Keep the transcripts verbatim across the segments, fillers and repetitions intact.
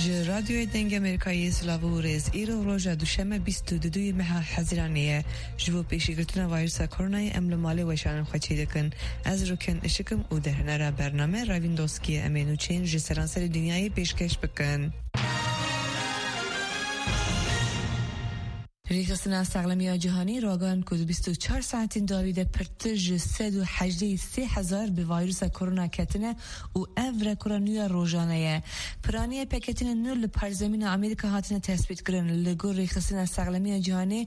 Li Radyoyê Dengê Amerîkayê silav û rêz. Îro roja duşeme bîst û duyê meha Hezîranê ye. Ji bo pêşîgirtina vîrusa koronayê em li malê weşanên xwe çêdikin. Ez Rûken Işik im û derhênera bername Ravîn Doskî ye. Em ê nûçeyên ji seranserê dinyayê pêşkeş bikin. Rêxistina Saxlemiya Cîhanî ragihand ku di bîst û çar saetên dawî de pirtir ji sed û hejdeh sê hezar bi vîrusa korona ketine û ev rekora nû ya rojane ye. Piraniya pêketînên nû li parzemîna Amerîka hatine tespîtkirin. Li gor Rêxistina Saxlemiya Cîhanê,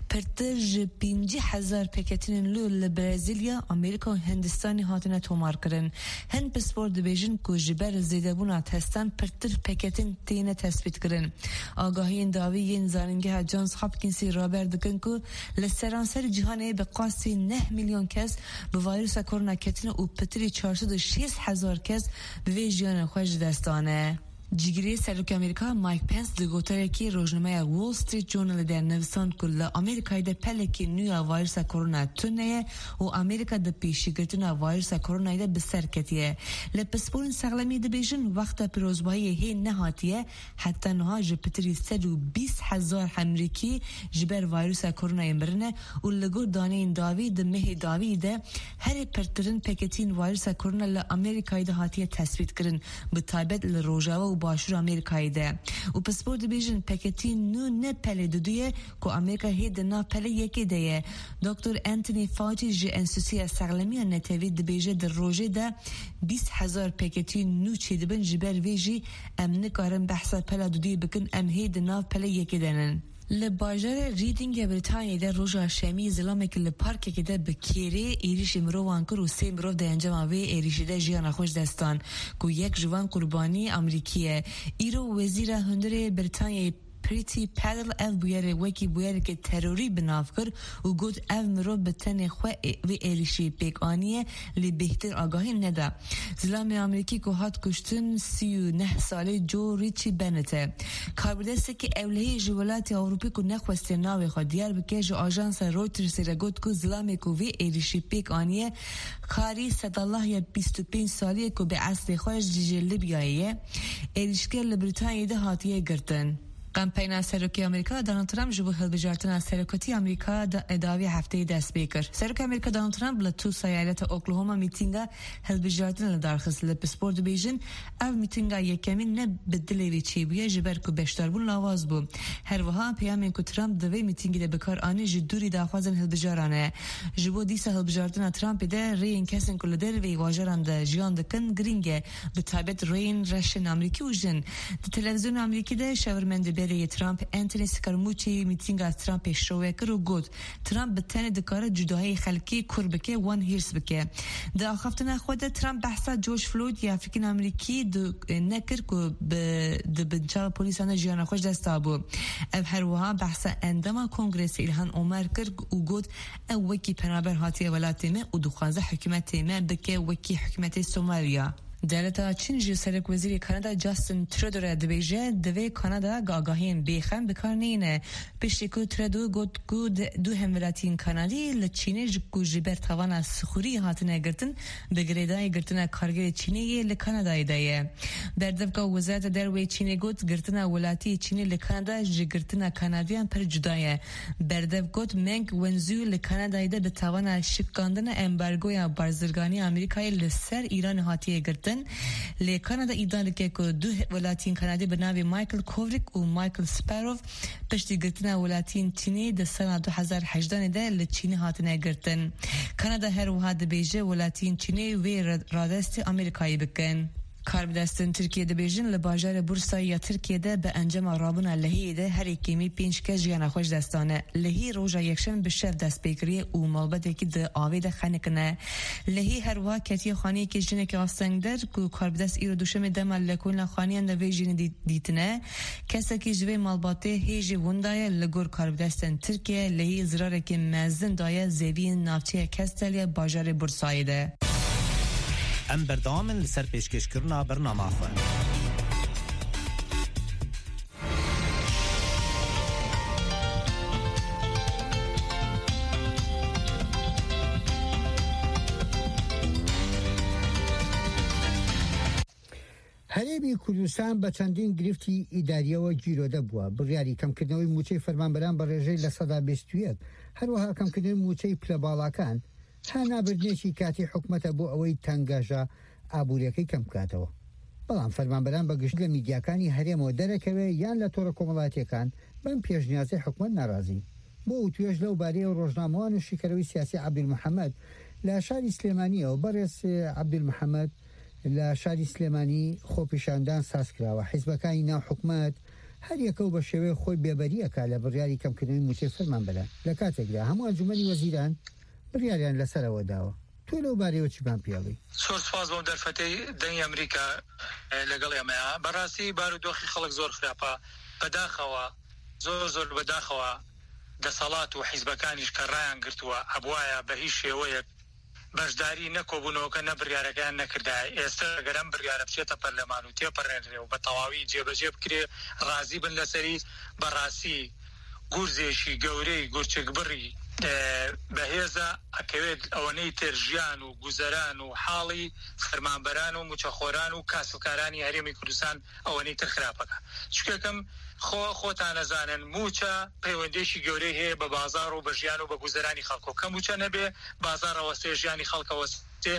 pirtir ji pêncî hezar pêketînên nû li Brezîlya, Amerîka û Hindistanê hatine tomarkirin. Hin pispor dibêjin ku ji ber zêdebûna testan pirtir pêketîn têne tespîtkirin. Agahiyên dawî yên Zanîngeha Johns Hopkinsê raber dikin ku li seranserî cîhanê bi qasî neh milyon kes bi vîrusa korona ketine û pitirî çar sed û şêst hezar kes bi vê jiyanê xwe ji dest dane. Cîgirê Serokê Amerîka Mike Pence di gotarekî rojnameya Wall Street Journalê de nivisand ku li Amerîkayê de pelekî nû ya vîrusa korona tune ye û Amerîka di pêşîgirtina vîrusa koronayê de bi ser ketiye. Li pisporên sexlemî dibêjin, wexta pîrozbahiyê hê nehatiye, heta niha ji pitirî sed û bîst hezar Amerîkî ji ber vîrusa koronayê mirine û li gor daneyên dawî di mehê dawî de herî pirtirin pêketîn vîrusa korona li Amerîkayê de hatiye tespîtkirin, bi taybet li Rojava û Başûra Amerîkayê de. Û pispor dibêjin, pêketîn nû ne pelê didû ye ku Amerîka hê di nav pelê yekê de ye. Doktor Anthony Fauci ji Enstîtuya Sexlemiya Netewî dibêje, di rojê de bîst hezar pêketîn nû çêdibin, ji ber vê jî em nikarin behsa pela duduyê bikin, em hê di nav pelê yekê de nin. Li bajarê Readingê Brîtanyayê de roja Şemî zilamekî li parkekê de bi kêrê êrîşî mirovan kir û sê mirov di encama vê êrîşî de jiyana xwe ji dest dan, ku yek ji van qurbanî Amerîkî ye. Îro Wezîra Hundirê Brîtanyayê Priti Patel ev bûyerê wekî bûyerekê terorî bi nav kir û got, ev mirov bi tenê xwe ê-, vê êrîşî pêk aniye, lê bêhtir agahî neda. Zilamê Amerîkî ku hat kuştin sî û neh salî Joe Richie Bennett e. Karbidestekî ewlehî ji welatê Ewropî ku nexwestiye navê xwe diyar bike, ji ajansa Reutersê re got ku zilamê ku vê êrîşî pêk aniye, karî Sedallah ya bîst û pênc salî ye ku bi eslê xwe ji, ji Libyayê ye. Êrîşker li Brîtanyayê de hatiye girtin. Kampeyna Serokê Amerîka Donald Trump ji bo hilbijartina serokwetî Amerîka da-, dawî hefteyê dest pê kir. Serokê Amerîka Donald Trump li Tulsa eyaleta Oklahoma mîtînga hilbijartinê li dar xist. Li pispor dibêjin, ev mîtînga yekemîn ne bi dilê wê çêbûye, ji ber ku beşdarbûn lawaz bû. Her wiha peyamên ku Trump di vê mîtîngê de bi kar anî ji dûrî daxwazên hilbijaran e. Ji bo dîsa hilbijartina Trumpê de rêyên kesên ku li derveyî bajaran de jiyan dikin girîng e. Bi taybet rêyên reşên Amerîkî û jin. Di televîzyona Amerîkî de şawermendê berê yê Trump, Anthony Scaramucci, mîtînga Trumpê şove kir û got, Trump bi tenê dikare cudahiyê xelkê kûr bike, wan hîrs bike. Di axaftina xwe de Trump behsa George Floyd yê Afrîkîn Amerîkî di, nekir ku bi, di binçava polîsan de jiyana xwe ji dest dabû. Ev her wiha behsa endama Kongresê Ilhan Omar kir û got, ew wekî penaber hatiye welatê me û dixwaze hikûmetê me bike wekî hikûmetê Somalya. Dewleta Çîn ji serokwezîrê Kanada Justin Trudeau re dibêje, divê Kanada agahiyên bêxem bi kar neyne. Piştî ku Trudeau got ku di-, du hemwelatiyên Kanadî li Çînê ji ku ji ber tawana sixurî hatine girtin, bi girêdayî girtina kargerê Çînê yê li Kanadayê de ye. Berdevka Wezareta Derve yê Çînê got, girtina welatiyê Çînê li Kanada ji girtina Kanadiyan pir cuda ye. Berdev got, Meng Wanzhou li Kanadayê de bi tawana şikandina embargoya barzirganî Amerîkayê li ser Îranê hatiye girtin. Lê Kanada îdia dike ku du welatiyên Kanadî bi navê Michael Kovrig û Michael Sparrow piştî girtina welatiyên Çînê di sala du hezar hejdanê de li Çînê hatine girtin. Kanada her wiha dibêje welatiyên Çînê wê re-, radestê Amerîkayê bikin. Karbidestên Tirkiyê dibêjin, li bajarê Bursayê ya Tirkiyê de bi encama rabûna lehiyê de herî kêmî pênc kes jiyana xwe ji dest dane. Lehî roja Yekşemê bi şev dest pê kiriye û malbatekî di avê de xenikine. Lehî her wiha ketiye xaniyekê jinekê astengder ku karbidest îro duşemê dema li komîna xaniyan de vê jinê dî-, dîtine. Kesekî ji vê malbatê hê jî winda ye. Li gor karbidestên Tirkiyê, lehî zirarekê mezin daye zeviyên navçeya Kestelya bajarê Bursayê de. Em berdewam in li ser pêşkêşkirina bernama xwe. هەرێمی کوردستان بە چەندین گرفتی ئیداریەوە گیرۆدە بووە. بڕیاری کەمکردنەوەی موچەی فەرمانبەران بە ڕێژەی لە سەدا بیست و یەک، هەروەها کەمکردنەوەی موچەی پلە باڵاکان، هەنابردنێکی کاتی حکومەتە بۆ ئەوەی تەنگەژە ئابووریەکەی کەم بکاتەوە. بەڵام فەرمانبەران بە گشت لە میدیاکانی هەرێمەوە دەرەکەوێ یان لە تۆڕە کۆمەڵاتیەکان بەم پێشنیازەی حکومەت ناڕازی. بۆ وتوێژ لەو بارەیەوە ڕۆژنامەوان و شیکەرەوەی سیاسی عەبدول محەممەد لە شاری سلێمانیەوە. بەڕێز عەبدول محەممەد، لە شاری سلێمانی خۆپیشاندان ساز کراوە. حیزبەکانی ناو حکومەت هەر یەکە و بە شێوەی خۆی بێبەریەکە لە بڕیاری کەمکردنەوەی موچەی فەرمانبەران. لە کاتێکدا هەموو ئەنجومەنی وەزیران بڕیاریان لەسەرەوە داوە. تۆ لەو بارەیەوە چیمان پێڵی؟ زۆر سپاس بۆم دەرفەتەی دەنگی ئەمریکا، ئە، لەگەڵ ئێمەیە. بەڕاستی بارودۆخی خەڵک زۆر خراپە. بەداخەوە، زۆر زۆر بەداخەوە دەسەڵات و حیزبەکانیش کە ڕایان گرتووە، ئەبوایە بە هیچ شێوەیەک بەشداری نە کۆبوونەوەکە، نە بڕیارەکەیان نەکردایە. ئێستا گەر ئەم بڕیارە بچێتە پەرلەمان و تێپەڕێنرێ و بە تەواوی جێبەجێ بکرێ، ڕازی بن لەسەری. بەڕاستی گورزێکی گەورەی گورچک بڕی، ئە، بەهێزە، ئەکەوێت ئەوەنەی تر ژیان و گوزەران و حاڵی فەرمانبەران و موچەخۆران و کاسبکارانی هەرێمی کوردستان ئەوەنەی تر خراپەکە. چکەکەم خۆ، خۆتانەزانن، موچە پەیوەندێکی گەورەی هەیە بە بازار و بە ژیان و بە گوزەرانی خەڵکۆ. کە موچە نەبێ، بازار ئەوەستێ، ژیانی خەڵک ئەوەستێ.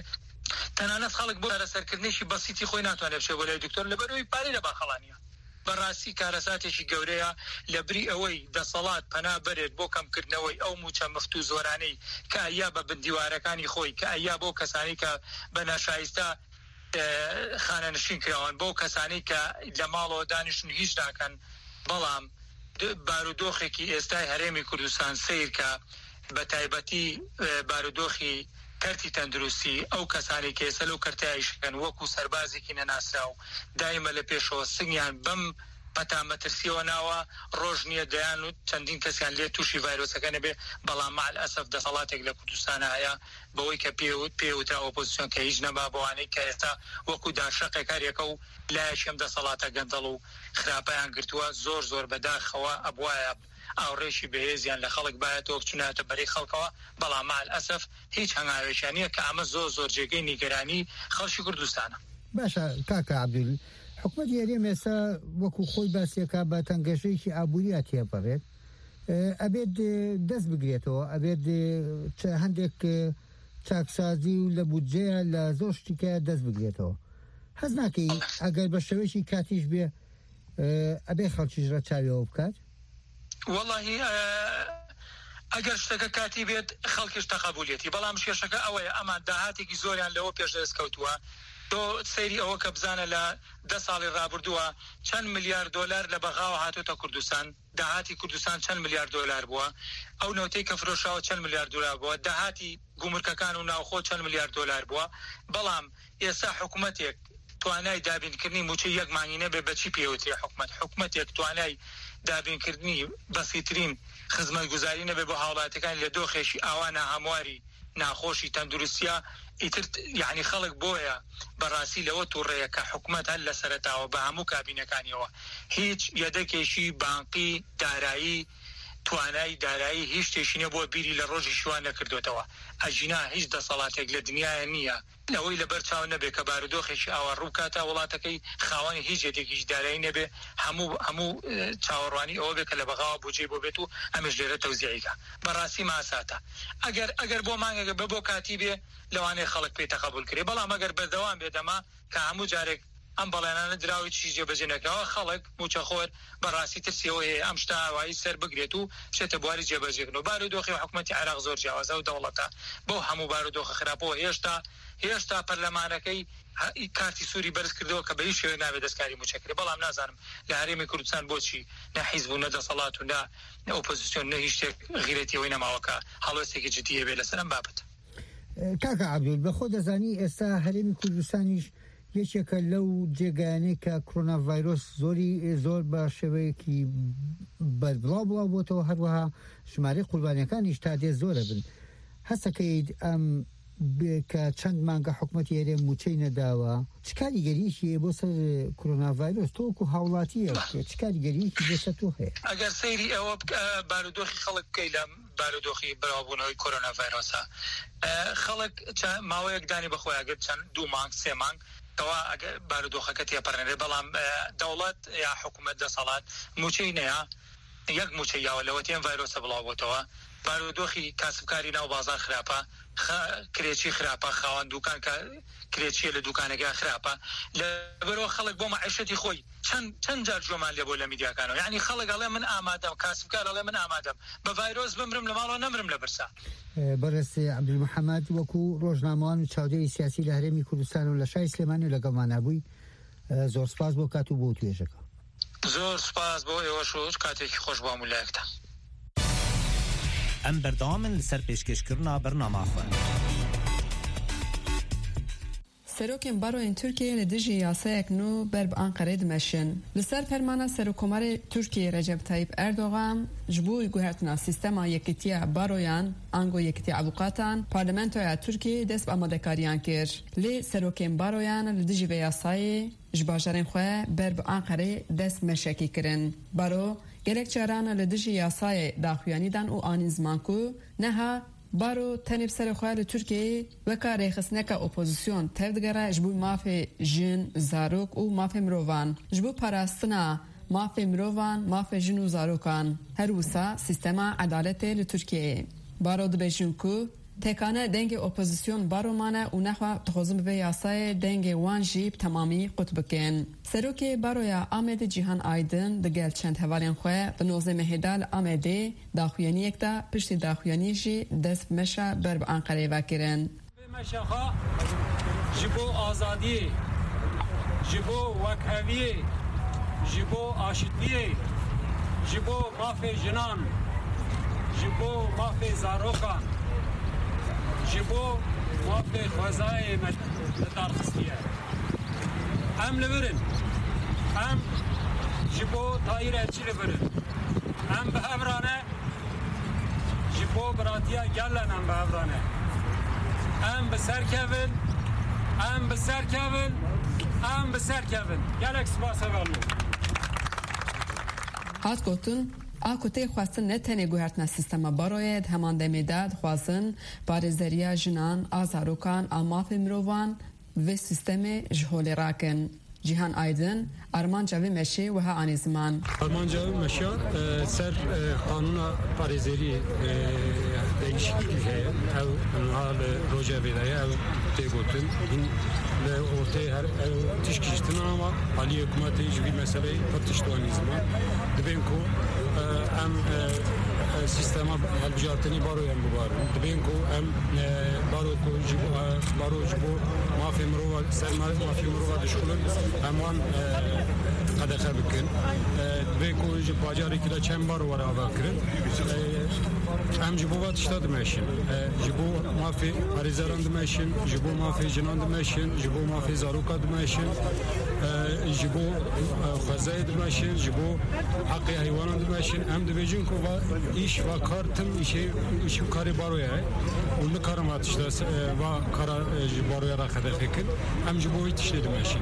تەنانەت خەڵک بۆ چارەسەرکردنێکی بەسیتی خۆی ناتوانێت بچێ بۆ لای دکتۆر، لەبەرەوەی پارەی لە باخەڵانیە. بەڕاستی کارەساتێکی گەورەیە. لە بری ئەوەی دەسەڵات پەنا بەرێت بۆ کەمکردنەوەی ئەو موچە مفت و زۆرانەی کە ئەیا بە بندیوارەکانی خۆی، کە ئەیا بۆ کەسانی کە بە ناشایستە، ئە، خانەنشین کراون، بۆ کەسانی کە لە ماڵەوە دانیشتن هیچ ناکەن. بەڵام د-، بارودۆخێکی ئێستای هەرێمی کوردستان سیر کە بە تایبەتی، ئە، بارودۆخی کەرتی تەندروستی، ئەو کەسانی کە ئێستا لەو کەرتایشکەن وەکو سەربازێکی نەناسراو دایمە لە پێشەوە سنگیان بەم پەتا مەترسیەوە ناوە. ڕۆژ نییە دەیان و چەندین کەسیان لێ تووشی ڤایرۆسەکە نەبێ، بەڵام مەعەلئەسەف دەسەڵاتێک لە کوردستانە هەیە بەوەی کە پێ و-، پێ وترا ئۆپۆزیسیۆن کە هیچ نەما، بەوانەی کە ئێستا وەکو داشەقێک هەر یەکە و لایەکی ئەم دەسەڵاتە گەندەڵ و خراپەیان گرتووە. زۆر زۆر بەداخەوە ئەبوایە ئاوڕێکی بەهێزیان لە خەڵک بایەتەوە، بچونایەتە بەرەی خەڵکەوە، بەڵام مەعەلئەسەف هیچ هەنگاوێکیان نییە کە ئەمە زۆر زۆر جێگەی نیگەرانی خەڵکی کوردستانە. باشە کاکە عەبدول، حکومەتی هەرێم ئێستا وەکو خۆی باسیەکە بە تەنگەژەیەکی ئابووریە تێپەڕێت. ئە، ئەبێت، ئە، دەست بگرێتەوە، ئەبێت، ئە، چ-، هەندێک، ئە، چاکسازی و لە بودجەیە لە زۆر شتیکە دەست بگرێتەوە. هەز ناکەی ئەگەر بە شێوەیەکی کاتیش بێ، ئە، ئەبێ خەڵکیش ڕەچاویەوە بکات؟ وەڵاهی، ئە، ئەگەر شتەکە کاتی بێت، خەڵکیش تەقەبولیەتی. بەڵام کێشەکە ئەوەیە، ئەمان داهاتێکی زۆریان لەوە پێش دەست کەوتووە. تۆ سەیری ئەوە کە بزانە لە دە ساڵی ڕابردووە چەند ملیار دۆلار لە بەغاوە هاتوتە کوردستان. داهاتی کوردستان چەند ملیار دۆلار بووە؟ ئەو نەوتەی کە فرۆشاوە چەند ملیار دۆلار بووە؟ داهاتی گومرکەکان و ناوخۆ چەند ملیار دۆلار بووە؟ بەڵام ئێستا حکومەتێک توانای دابینکردنی موچەی یەک مانگی نەبێ، بەچی پێوترێ حکومەت؟ حکومەتێک توانای دابینکردنی بەسیترین خزمەتگوزاری نەبێ بۆ هاوڵاتیەکانی لە دۆخێکی ئاوا ناهەمواری ناخۆشی تەندروستیە، ئیتر، یعنی، خەڵک بۆیە بەڕاستی لەوە تووڕەیە کە حکومەت هەر لە سەرەتاوە بە هەموو کابینەکانیەوە هیچ یەدەکێکی بانقی دارایی، توانای دارایی هیچ شتێکی نیە بۆ بیری لە ڕۆژی شوان نەکردوێتەوە. ئەژینا هیچ دەسەڵاتێک لە دنیاە نییە لەوەی لەبەر چاو نەبێ کە بارودۆخێکی ئاوا ڕووکاتە وڵاتەکەی خاوەنی هیچ یەدێکی دارایی نەبێ، هەموو، هەموو، ئە، چاوەڕوانی ئەوە بێ کە لە بەغاوە بودجەی بۆ بێت و ئەمەش لێرە تەوزیعیکە. بەڕاستی ماساتە. ئەگەر، ئەگەر بۆ مانگێک بێ، بۆ کاتی بێ، لەوانەیە خەڵک پێی تەقەبول کرێ. بەڵام ئەگەر بەردەوام بێت ئەمە کە هەموو جارێک ئەم بەڵێنانە دراوی چی جێبەجێ نەکراوە، خەڵک موچەخۆر بەڕاستی ترسیەوە هەیە ئەم شتە ئاوایی سەر بگرێت و بچێتە بواری جێبەجێکردنەوە. بارودۆخی حکومەتی عێراق زۆر جیاوازە و دەوڵەتە بەو هەموو بارودۆخە خراپەوە. هێشتا، هێشتا پەرلەمانەکەی هە-، کارتی سووری بەرز کردەوە کە بە هیچ شێوەیەک نابێت دەستکاری موچە کرێ. بەڵام نازانم لە هەرێمی کوردستان بۆچی نە حیزب و نە دەسەڵات و نە ئۆپۆزیسیۆن نە هیچ شتێک غیرەتی ئەوەی نەماوە کە هەڵوێستێکی جدی هەبێت لەسەر ئەم بابەتە. کاکە عەبدول، بە خۆ دەزانی ئێستا هەرێمی کوردستانیش یەکێکە لەو جێگایانەی کە کۆرۆنا ڤایرۆس زۆری، زۆر بە شێوەیەکی بەربڵاو بڵاو بۆتەوە، هەروەها ژمارەی قوربانیەکانیش تا دێ زۆرە بن. هەستەکەیت ئەم بێ کە چەند مانگە حکومەتی هەرێم موچەی نەداوە، چ کاریگەریەکی هەیە بۆ سەر کۆرۆنا ڤایرۆس؟ تۆ وەکو هاوڵاتیەک چ کاریگەریەکی بۆ سەر تۆ هەیە؟ ئەگەر سەیری ئەوە بکە، بارودۆخی خەڵک بکەی لە بارودۆخی بەراوبوونەوەی کۆرۆنا ڤایرۆسە، ئە، خەڵک چە-، ماوەیەک دانی بەخۆیان گرت، چەند دوو مانگ، سێ مانگ، کەوا ئەگە بارودۆخەکە تێپەڕێنێ، بەڵام، ئە، دەوڵەت یا حکوومەت دەسەڵات موچەی نەیە، یەک موچەی یاوە لەوەتی ئەم ڤایرۆسە بڵاو بۆتەوە. بارودۆخی کاسبکاری ناو بازار خراپە، خە-، کرێچی خراپە، خاوەن دوکان کە کرێچیە لە دوکانەکە خراپە. لەبەرەوە خەڵک بۆ مەعیشەتی خۆی چەند، چەند جار جۆمان لێ بۆ لە میدیاکانەوە. یعنی خەڵک ئەڵێ من ئامادەم، کاسبکار ئەڵێ من ئامادەم بە ڤایرۆس بمرم لە ماڵەوە، نەمرم لە برسا. بەڕێز عەبدولمحەمەد، وەکو ڕۆژنامەوان و چاودێری سیاسی لە هەرێمی کوردستان و لە شای سلێمانی و لەگەڵمانە بووی، زۆر سپاس بۆ کات و بۆ توێژەکە. زۆر سپاس بۆ ئێوەش و کاتێکی خۆش بۆ هەموو لایەکتان. ئەم بەردەوامن لەسەر پێشکێشکردنا بەرنامە خۆ. Serokên baroyên Tirkiyeyê li dijî yasayek nû ber bi Anqerê dimeşin. Li ser fermana Serokkomarê Tirkiyeyê Recep Tayyip Erdogan, ji bo guhertina sîstema yekîtiya baroyan, ango yekîtiya avûkatan, Parlamentoya Tirkiyeyê dest bi amadekariyan kir. Lê serokên baroyan li dijî vê yasayê ji bajarên xwe ber bi Anqerê dest meşekî kirin. Baro gelek caran li dijî yasayê daxuyanî dan û anîn ziman ku neha baro tenê bi serê xwe li Tirkiyeyê weka rêxistineka opozîsyon tevdigere ji bo mafê jin, zarok û mafê mirovan, ji bo parastina mafê mirovan, mafê jin û zarokan. Her wisa sîstema edaletê li Tirkiyeyê. Baro dibêjin ku tekane dengê opozîsyon baro mane û nexwe dixwazin bi vê yasayê dengê wan jî bi temamî qut bikin. Serokê Baroya Amedê Cîhan Aydin digel çend hevalên xwe di nozdeh mehê de li Amedê daxuyaniyek de, piştî daxuyaniyê jî dest bi meşa ber bi Anqereyê ve kirin. Vê meşa xwe ji bo azadiyê, ji bo wekheviyê, ji bo aşitiyê, ji bo mafê jinan, ji bo mafê zarokan, ji bo mafê xwezayê me li dar xistiye. Em li vir in. Em ji bo Tahîr Elçî li vir in. Em bi hev re ne. Ji bo biratiya gel re em bi hev re ne. Em bi ser kevin, em bi ser kevin, em bi ser kevin. Gelek spas hevalno. Hat gotin, a ku tê xwestin ne tenê guhertina sîstema baroyê, di heman demê de dixwazin parêzeriya jinan, a zarokan, a mafê mirovan, vê sîstemê ji holê rakin. Cîhan Aydin armanca vê meşê wiha anî ziman. Armanca vê meşa, e, ser, e, qanûna parêzeriyê, e, değişiklik heye. Ew niha li rojevê de ye, ew tê gotin. Hîn li orteyê her ew tişkî ji tune ama aliyê hikûmetê ji vî meseleyê pir tişt anî ziman. Dibên ku, e, em, e, e, sîstema hilbijartinê baroyan bibarin. Dibên ku em, e, baro ku ji bo, e, baro ji bo mafê mirova, ser ma-, mafê mirova dişxulin, em wan, e, qedexe bikin. E, dibê ku ji bajarekî de çend baro were avakirin. E, em ji bo va tişta dimeşin. E, ji bo mafê parêzeran dimeşin, ji bo mafê jinan dimeşin, ji bo mafê zaroka dimeşin, e, ji bo, e, xwezayê dimeşin, ji bo heqê heywanan dimeşin. Em dibêjin ku va îş, va kar tim îşê, îş û karê baroya ye û nikarin va tişta se-, e, va kara, e, ji baroya re qedexe kin. Em ji bo wî tiştê dimeşin.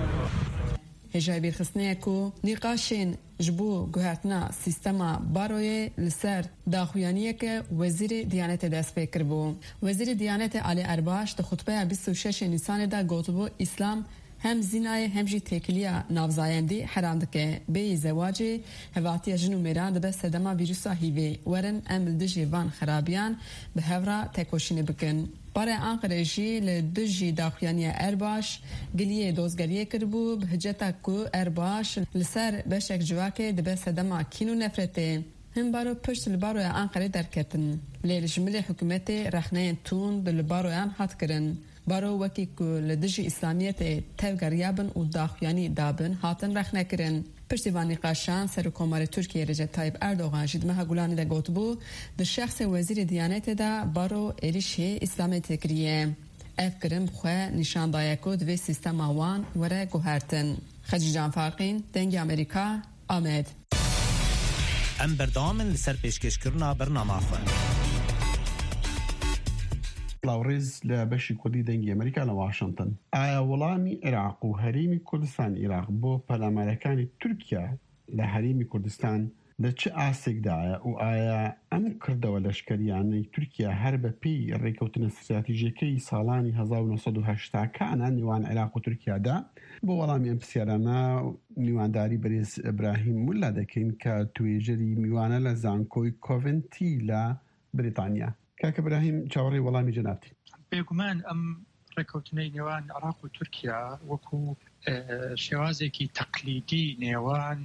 Hêjayî bîrxistinê ye ku nîqaşên ji bo guhertina sîstema baroyê li ser daxuyaniyeke Wezîrê Diyanetê dest pê kiribû. Wezîrê Diyanetê Alî Erbaş di xutbeya bîst û şeş Nîsanê de gotibû, Îslam hem zînayê hem jî têkiliya navzayendî heram dike. Bêyî zewacê, hevatiya jin û mêran dibe sedema vîrusa hîvê. Werin em li dijî van xerabiyan bi hev re tekoşînê bikin. Barê Anqerê jî li dijî daxuyaniya Erbaş giliyê dozgeriyê kiribû, bi hiceta ku Erbaş li ser beşek civakê dibe sedema kîn û nefretê. Hin baro pişt li baroya Anqerê derketin. Lê li ji milê hikûmetê rexneyên tund li baroyan hat kirin. Baro wekî ku li dijî îslamiyetê tevgeriyabin û daxuyanî dabin, hatin rexnekirin. Piştî van nîqaşan, Serokkomarê Tirkiyê Recep Tayyip Erdogan jî di meha Gulanê de gotibû, di şexsê Wezîrê Diyanetê de baro êrîşê îslamiyetê kiriye. Ev kirin bi xwe nîşan daye ku divê sîstema wan were guhertin. Xecîcan Farqîn, Dengê Amerîka, Amed. Em berdewam in li ser pêşkêşkirina bernama xwe. Lawrêz li beşî Kurdî Dengê Amerîka li Washington. ئایا وەڵامی عێراق و هەرێمی کوردستان عێراق بۆ پەلامارەکانی تورکیا لە هەرێمی کوردستان لە چ ئاستێکدایە و ئایا ئەم کردەوە لەشکەریانەی تورکیا هەر بە پێی ڕێکەوتنە ستراتیژیەکەی ساڵانی هەزار و نۆ سەد و هەشتا کانە نێوان عێراق و تورکیادا؟ بۆ وەڵامی ئەم پرسیارانە میوانداری بەرێز ئیبراهیم مولا دەکەین کە توێژەری میوانە لە زانکۆی کۆڤنتی لە بریتانیا. کاکە براهیم، چاوەڕێ وەڵامی جەنابتی. بێگومان ئەم ڕێکەوتنەی نێوان عێراق و تورکیا وەکو، ئە، شێوازێکی تەقلیدی نێوان،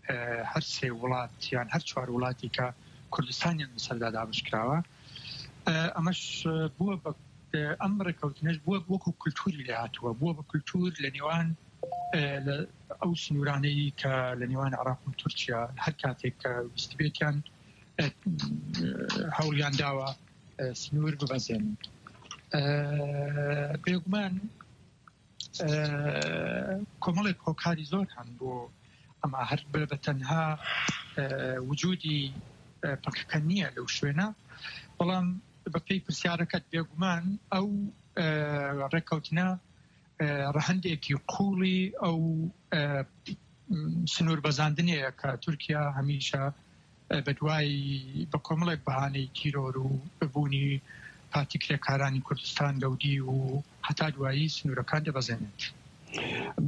ئە، هەر سێ وڵات یان هەر چوار وڵاتی کە کوردستانیان بەسەردا دابش کراوە. ئە، ئەمەش بووە بە، ئە، ئەم ڕێکەوتنەش بووە وەکو کولتوری لێ هاتووە، بووە بە کولتور لە نێوان، ئە، لە ئەو سنوورانەی کە لە نێوان عێراق و تورکیا هەر کاتێک کە ویست بێتیان، ئە، هەوڵیان داوە، ئە، سنوور ببەزێنن. ئە، بێگومان، ئە، کۆمەڵێک هۆکاری زۆر هەن بۆ ئەمە، هەر بە، بە تەنها، ئە، وجودی، ئە، پەکەکە نییە لەو شوێنە، بەڵام بە پێی پرسیارەکەت بێگومان ئەو، ئە، ڕێکەوتنە، ئە، ڕەهەندێکی قوڵی ئەو، ئە، سنوور بەزاندنەیە کە تورکیا هەمیشە، ئە، بە دوای، بە کۆمەڵێک بەهانەی تیرۆر و ببوونی پارتی کرێکارانی کوردستان گەودی و هەتا دوایی سنوورەکان دەبەزێنێت.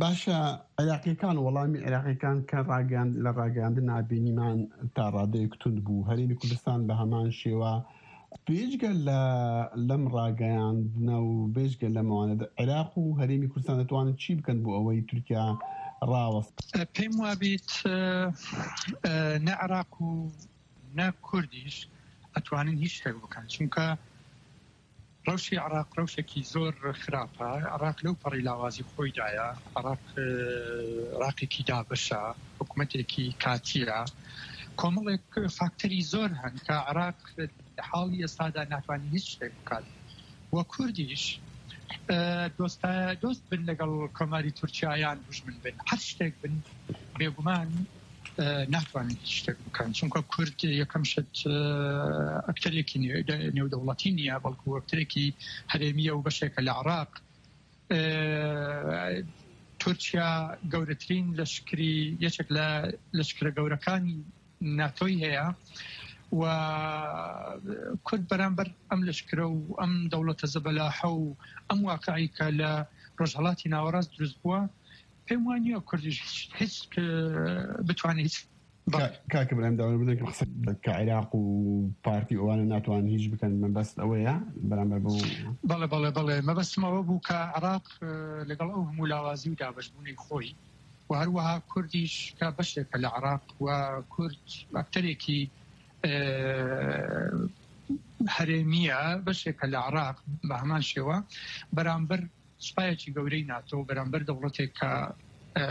باشە، عێراقیەکان، وەڵامی عێراقیەکان کە ڕاگەیاند-، لە ڕاگەیاندنا بینیمان تا ڕادەیەک توند بوو. هەرێمی کوردستان بە هەمان شێوە. بێجگە لە، لەم ڕاگەیاندنە و بێجگە لەمەوانە، عێراق و هەرێمی کوردستان دەتوانن چی بکەن بۆ ئەوەی تورکیا ڕاوەست؟ پێم وابیت، ئە، ئە، نە عێراق و نە کوردیش ئەتوانن هیچ شتێک بکەن، چونکە ڕەوشی عێراق ڕەوشێکی زۆر خراپە. عێراق لەو پەڕی لاوازی خۆیدایە. عێراق، ئە، عێراقێکی دابەشە، حکوومەتێکی کاتیە. کۆمەڵێک فاکتەری زۆر هەن کە عێراق لە حاڵی ئێستادا ناتوانێت هیچ شتێک بکات. و کوردیش، ئە، دۆستە-، دۆست بن لەگەڵ کۆماری تورکیا یان دوژمن بن، هەر شتێک بن، بێگومان، ئە، ناتوانن هیچ شتێک بکەن. چونکە کورد یەکەم شت، ئە، ئەکتەرێکی نێ-، دە-، نێودەوڵەتی نییە، بەڵکو ئەکتەرێکی هەرێمیە و بەشێکە لە عێراق. ئە، تورکیا گەورەترین لەشکری، یەکێک لە لەشکرە گەورەکانی ناتۆی هەیە و کورد بەرامبەر ئەم لەشکرە و ئەم دەوڵەتە زەبەلاحە و ئەم واقعی کە لە ڕۆژهەڵاتی ناوەڕاست دروست بووە، پێم وانییە کوردیش هیچ، هیچ، ئە، بتوانێت هیچ. کا-، کاکە برایم، داوای بدەن کە قسە کە عێراق و پارتی ئەوانە ناتوانن هیچ بکەن، مەبەست ئەوەیە بەرامبەر بەو؟ بەڵێ، بەڵێ، بەڵێ. مەبەستم ئەوە بوو کە عێراق، ئە، لەگەڵ ئەو هەموو لاوازی و دابەشبوونەی خۆی و هەروەها کوردیش کە بەشێکە لە عێراق و کورد ئەکتەرێکی، ئە، هەرێمیە، بەشێکە لە عێراق، بە هەمان شێوە بەرامبەر سوپایەکی گەورەی ناتۆ، بەرامبەر دەوڵەتێک کە، ئە،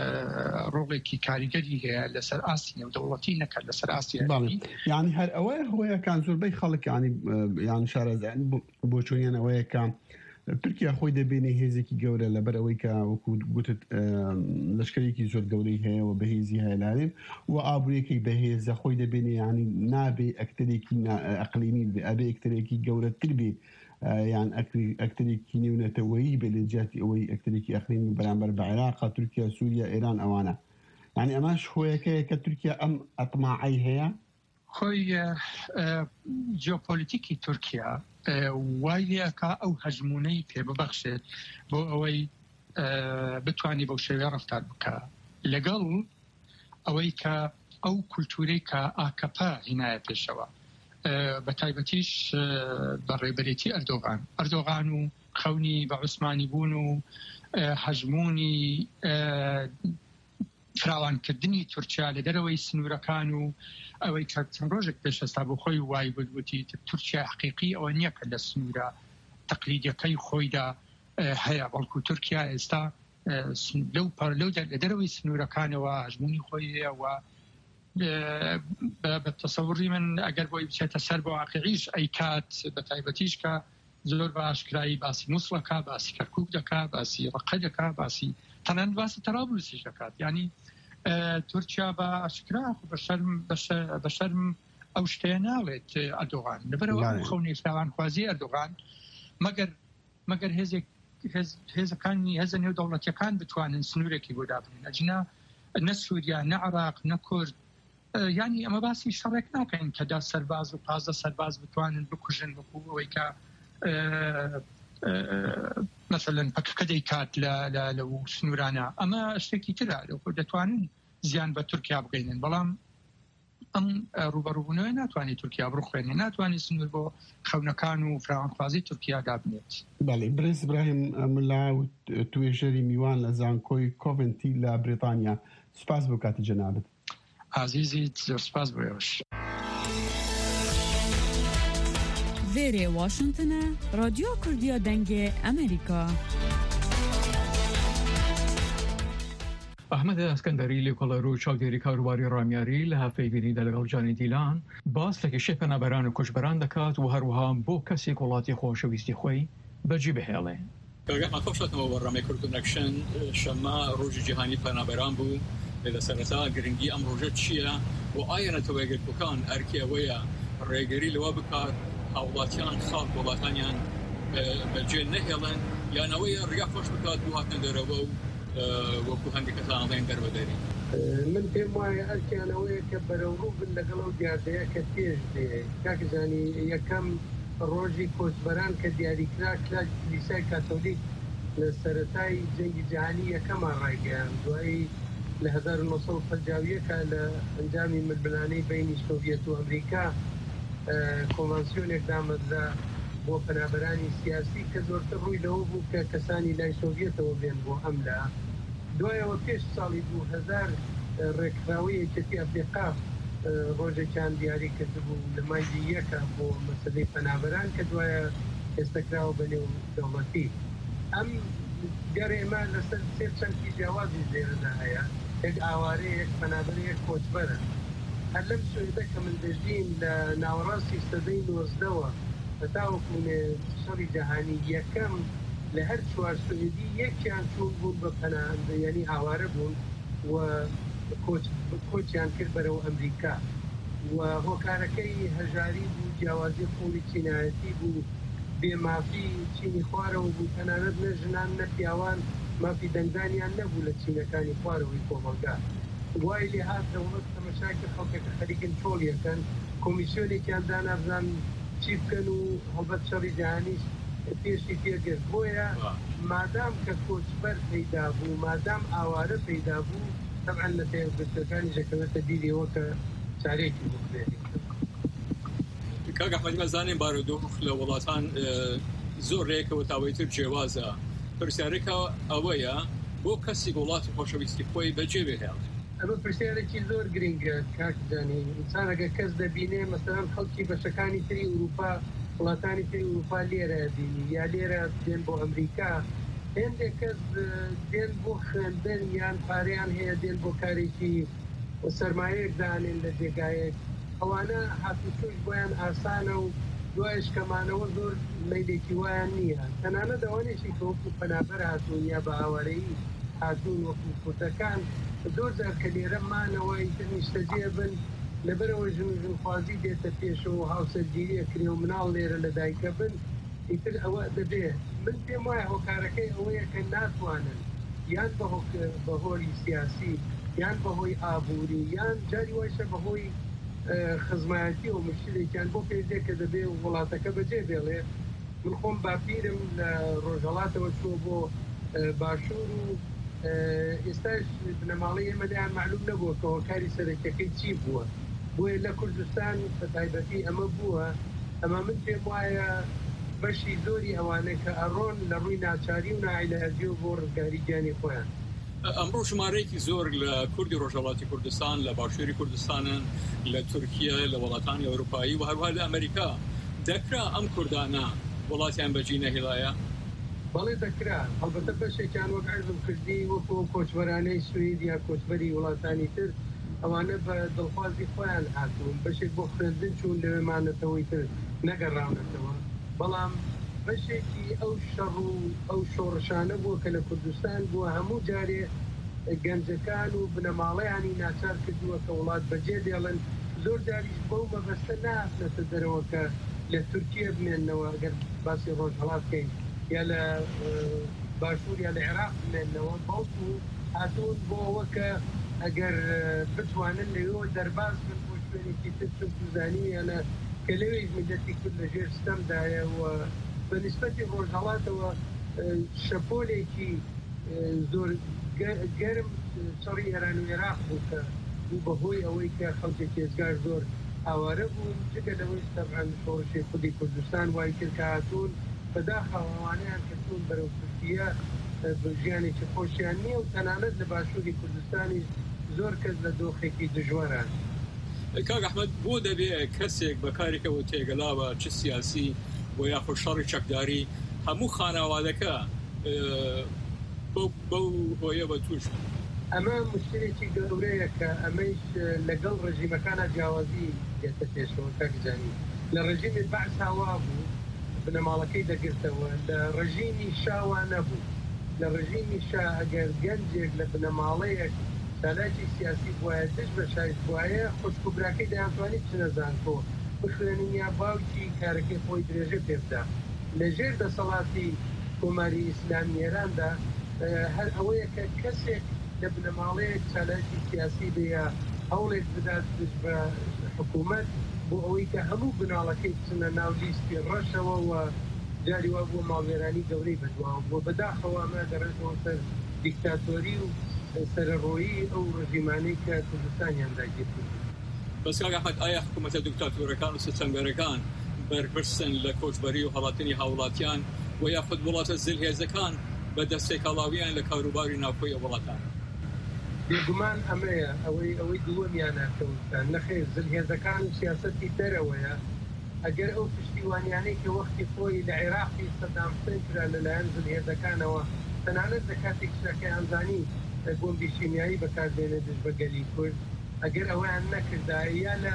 ڕۆڵێکی کاریگەری هەیە لەسەر ئاستی نێودەوڵەتی، نەکات لەسەر ئاستی بەڵێ. هەرێمی. یعنی هەر ئەوەیە هۆیەکان زۆربەی خەڵک، یعنی، ئە، یان شارەزایان بۆ، بۆچوونیان ئەوەیە کە تورکیا خۆی دەبێنێ هێزێکی گەورە، لەبەر ئەوەی کە وەکو گوتت، ئە، لەشکرێکی زۆر گەورەی هەیە و بەهێزی هەیە لە هەرێم و ئابووریەکەی بەهێزە، خۆی دەبێنێ، یعنی نابێ ئەکتەرێکی نا-، ئەقلیمی بێ، ئەبێ ئەکتەرێکی گەورەتر بێ، ئە، یان ئەکری-، ئەکتەرێکی نێونەتەوەیی بێ لە جیاتی ئەوەی ئەکتەرێکی ئەقلیمی بەرامبەر بە عێراق، تورکیا، سووریا، ئێران ئەوانە. یعنی ئەمەش هۆیەکەیە کە تورکیا ئەم ئەتماعەی هەیە. خۆی، ئە، ئە، جیۆپۆلیتیکی تورکیا، ئە، وای لێکا ئەو هەژموونەی پێ ببەخشێت بۆ ئەوەی، ئە، بتوانێت بەو شێوەیە ڕەفتار بکا لەگەڵ ئەوەی کە ئەو کولتوورەی کە ئاکەپە هینایە پێشەوە، ئە، بە تایبەتیش، ئە، بە ڕێبەرێتی ئەردۆغان، ئەردۆغان و خەونی بە عوسمانی بوون و، ئە، هەژموونی، ئە، فراوانکردنی تورکیا لە دەرەوەی سنوورەکان و ئەوەی کە چەند ڕۆژێک پێش ئێستا بۆ خۆی وای گوتگوتی، تورکیا حەقیقی ئەوە نییە کە لە سنوورە تەقلیدیەکەی خۆیدا، ئە، هەیە، بەڵکو تورکیا ئێستا، ئە، سن-، لەو پەر-، لەو دەر-، لە دەرەوەی سنوورەکانەوە هەژموونی خۆی هەیە و، ئە، بە، بە تەسەوڕی من ئەگەر بۆی بچێتە سەر بە واقعیش ئەیکات، بە تایبەتیش کە زۆر بە ئاشکرایی باسی موسڵەکە، باسی کەرکووک دەکا، باسی ڕەقە دەکا، باسی تەنانەت باسی تەرابلوسیش دەکات. یعنی، ئە، تورکیا بە ئاشکرا خۆ بە شەرم، بە شە-، بە شەرم ئەو شتەیە ناڵێت، ئە، ئەردۆغان. لەبەرەوە ئەم بەڵێ. خەونی فراوانخوازی ئەردۆغان، مەگەر، مەگەر هێزێک، هێز-، هێزەکانی، هێزە نێودەوڵەتیەکان بتوانن سنوورێکی بۆ دابنێن. ئەجنا نە سووریا، نە عێراق، نە کورد، یانی ئەمە باسی شەڕێک ناکەین کە دە سەرباز و پازدە سەرباز بتوانن بکوژن، وەکو ئەوەی کە مەسەلەن پەکەکە دەیکات لە لە لەو سنوورانە. ئەمە شتێکی ترە، دەتوانن زیان بە تورکیا بگەینن، بەڵام ئەم ڕوبەڕووبوونەوە ناتوانێت تورکیا بڕوخێنێ، ناتوانێت سنوور بۆ خەونەکان و فراوانخوازی تورکیا دابنێت. بەڵێ، برێز ئیبراهیم ملا و توێژەری میوان لە زانکۆی کۆڤنتی لە بریتانیا. سوپاس بۆ کاتی جەنابت. ئازیزیت، زۆر سوپاس بۆ ئێوەش. Vêrê Washington e, Radyo Kurdiya Dengê Amerîka. ئەحمەد ئەسکەندەری، لێکۆڵەر و چاودێری کاروباری ڕامیاری، لە هەفەی بینیدا لەگەڵ جانی دیلان باس لە کێشەی پەنابەران و کۆچبەران دەکات و هەروەها بۆ کەسێک وڵاتی خۆشەویستی خۆی بەجێ بهێڵێ. کاگە ماکۆ شاتەوە وەڕەمەی کردنەکشن شەممە ڕۆژی جیهانی پەنابەران بوو. لە سەرەتا گرنگی ئەم ڕۆژە چییە و ئایا نەتەوەیەکگرتووەکان ئەرکی ئەوەیە ڕێگری لەوە بکات هاوڵاتیان خاک وڵاتانیان بەجێ نەهێڵن، یان ئەوەیە ڕێگا خۆش بکات بۆ هاتنە دەرەوە و وەکو هەندێک کەسان ئەڵێن دەربەدەری؟ من پێم وایە ئەرکیان ئەوەیە کە بەرەوڕوو بن لەگەڵ ئەو دیاردەیە کە پێش دێ. کاک زانی، یەکەم ڕۆژی کۆچبەران کە دیاریکرا، کلیسای کاتۆلیک لە سەرەتای جەنگی جیهانی یەکەمان ڕایگەیاند، دوایی لە هەزار و نۆ سەد و پەنجا و یەک لە ئەنجامی ململانەی بینی سۆڤیەت و ئەمریکا کۆنڤانسیۆنێک دامەزرا بۆ پەنابەرانی سیاسی کە زۆرتر ڕووی لەوە بوو کە کەسانی لای سۆڤیەتەوە بێن بۆ ئەم لا. دوایەوە پێش ساڵی دوو هەزار ڕێکخراوی یەکێتی ئەفریقا ڕۆژێکیان دیاری کردبوو لە مانگی یەکە بۆ مەسەلەی پەنابەران کە دوایە ئێستەکراوە بە نێو دەوڵەتی. ئەم گەر ئێمە لەسەر سێ چەمکی جیاوازی ژێرەدا هەیە، یەک ئاوارەیە، یەک پەنابەرە، یەک کۆچبەرە. هەر لەم سوێدە کە من دەژیم لە ناوەڕاستی سەدەی نۆزدەوە هەتاوەکو شەڕی جەهانی یەکەم، لە هەر چوار سوێدی یەکیان چوون بوون بە پەناهەندە، یعنی ئاوارە بوون و کۆچ کۆچیان کرد بەرەو ئەمریکا. و هۆکارەکەی هەژاری بوو، جیاوازی قوڵی چینایەتی بوو، بێمافی چینی خوارەوە بوو، تەنانەت نە ژنان نە پیاوان مافی دەنگدانیان نەبوو لە چینەکانی خوارەوەی کۆمەڵگا. وای لێ هات دەوڵەت تەمەشاکی خەڵکەکە خەریکن چۆڵیەکەن، کۆمیسیۆنێکیان دانابزان چی بکەن و هەڵبەت شەڕی جیهانیش پێشی پێگرت. بۆیە مادام کە کۆچبەر پەیدا بوو، مادام ئاوارە پەیدا بوو، تەبعەن لە تەیارگرتوەکانی ژەکەوێتە بیرەوە کە چارێکی بکرێت. کاک ئەحمەد، مەزانین بارودۆخ لە وڵاتان زۆر رێکەوە تاوەیتر جێوازە. پرسیارەکە ئەوەیە، بۆ کەسی وڵاتی خۆشەویستی خۆی بەجێ بهێڵێ؟ ئەمە پرسیارێکی زۆر گرنگە کاک زانی. ئینسان ئەگەر کەس دەبینێ، مەسەلەن خەڵکی بەشەکانی تری ئوروپا، وڵاتانی تری ئوروپا لێرە بینی یا لێرە دێن بۆ ئەمریکا، هێندێک کەس دێن بۆ خوێندن یان پارەیان هەیە دێن بۆ کارێکی سەرمایەیەک دانێن لە جێگایەک. ئەوانە هاتوچۆش بۆیان ئاسانە و دوایش کەمانەوە زۆر مەیلێکی وایان نییە. تەنانەت ئەوانەیشی کە وەکو پەنابەر هاتوون یا بە ئاوارەیی هاتوون وەکو کوردەکان، زۆر جار کە لێرە مانەوە ئیتر نیشتەجێ بن، لەبەرەوە ژن و ژنخوازی دێتە پێشەوە و هاوسەرگیری ئەکرێ و مناڵ لێرە لە دایکە بن، ئیتر ئەوە دەبێ. من پێم وایە هۆکارەکەی ئەوەیە کە ناتوانن یان بە هۆک-، بە هۆلی سیاسی یان بەهۆی ئابووری یان جاری وایشە بەهۆی خزمایەتی و مشکلێکیان بۆ پێدێ کە دەبێ وڵاتەکە بەجێ بێڵێ. من خۆم باپیرم لە ڕۆژهەڵاتەوە چووە بۆ باشوور و ئێستاش بنەماڵەی ئێمە لێیان معلوم نەبووە کە هۆکاری سەرەکیەکەی چی بووە. بۆیە لە کوردستان بە تایبەتی ئەمە بووە. ئەمە من پێم وایە بەشی زۆری ئەوانە کە ئەڕۆن لە ڕووی ناچاری و ناعیلاجیەوە بۆ ڕزگاری گیانی خۆیان. ئەمڕۆ ژمارەیەکی زۆر لە کوردی ڕۆژهەڵاتی کوردستان، لە باشووری کوردستانن، لە تورکیا، لە وڵاتانی ئەوروپایی و هەروها لە ئەمریکا. دەکرا ئەم کوردانە وڵاتیان بەجی نەهێڵایە؟ بەڵێ دەکرا. هەڵبەتە بەشێکیان وەک عەرزم کردی وەکو کۆچبەرانەی سوید یا کۆچبەری وڵاتانی تر، ئەوانە بە دڵخوازی خۆیان هاتوون، بەشێک بۆ خوێندن چوون لەوێ مانەتەوەی تر نەگەڕاونەتەوە. بەڵام بەشێکی ئەو شەڕ و ئەو شۆڕشانە بووە کە لە کوردستان بووە، هەموو جارێ گەنجەکان و بنەماڵەیانی ناچار کردووە کە وڵات بەجێ دێڵن. زۆر جاریش بەو مەبەستە نهاتنەتە دەرەوە کە لە تورکیە بمێننەوە، ئەگەر باسی ڕۆژهەڵات بکەین، یا لە باشوور یا لە عێراق بمێننەوە، بەڵکو هاتوون بۆ ئەوە کە ئەگەر بتوانن لەوێوە دەرباز بن بۆ شوێنێکی تر، چونکو زانیویانە کە لەوێش میلەتی کورد لە ژێر ستەمدایە و بە نیسبەتی ڕۆژهەڵاتەوە شەپۆلێکی زۆر گەرم شەڕی ئێران و عێراق بوو کە بوو بەهۆی ئەوەی کە خەڵکی ئێزگار زۆر ئاوارە بوون، جگە لەوەیش تەبعەن شۆڕشی خودی کوردستان وای کرد کە هاتوون بەداخەوە ئەوانەیان کە چوون بەرەو تورکیە ژیانێکی خۆشیان نییە و تەنانەت لە باشووری کوردستانیش زۆر کەس لە دۆخێکی دژوارە. کاک ئەحمەد، بۆ دەبێ کەسێک بە کارێکەوە تێگەلاوە، چ سیاسی و یاخود شەڕی چەکداری، هەموو خانەوادەکە بەو هۆیەوە توش بوو؟ ئەمە مشکلێکی گەورەیە کە ئەمەیش لەگەڵ ڕژیمەکانە جیاوازی دێتە پێشەوە. کاکزانی لە ڕژیمی بەعسا وا بوو، بنەماڵەکەی دەگرتەوە، لە ڕژیمی شاوا نەبوو. لە ڕژیمی شا ئەگەر گەنجێک لە بنەماڵەیەک چالاکی سیاسی بوایە، دژ بە شایش بوایە، خوشک و براکەی دەیانتوانی بچنە زانکۆ بخوێنن یا باوکی کارەکەی خۆی درێژە پێ بدا. لە ژێر دەسەڵاتی کۆماری ئیسلامی ئێراندا هەر ئەوەیە کە کەسێک لە بنەماڵەیەک چالاکی سیاسی بێ یا هەوڵێک بدات دژ بە حکوومەت بۆ ئەوەی کە هەموو بناڵەکەی بچنە ناو لیستی ڕەشەوە و جاری وا بووە ماڵوێرانی گەورەی بەدواوە بووە. بەداخەوە ئەمە دەڕێتەوە سەر دیکتاتۆری و سەرەڕۆیی ئەو ڕژیمانەی کە کوردستانیان داگیر کردووە. بەس کاک ئەحمەد، ئایا حکوومەتە دیکتاتۆرەکان و ستەمگەرەکان بەرپرسن لە کۆچبەری و هەڵاتنی هاوڵاتیان و یاخود وڵاتە زلهێزەکان بە دەستێکاڵاویان لە کاروباری ناوخۆی ئەو وڵاتان؟ بێگومان ئەمەیە ئەوەی ئەوەی دووەمیانە کەوتان. نەخێر، زلهێزەکان و سیاسەتی دەرەوەیە. ئەگەر ئەو پشتیوانیانەی کە وەختی خۆی لە عێراقی سەدام حسێن کرا لەلایەن زلهێزەکانەوە، تەنانەت لە کاتێکیشا کە ئەیانزانی بۆمبی شیمیایی بەکاردێنێ دژ بە گەلی کورد، ئەگەر ئەوەیان نەکردایە یا لە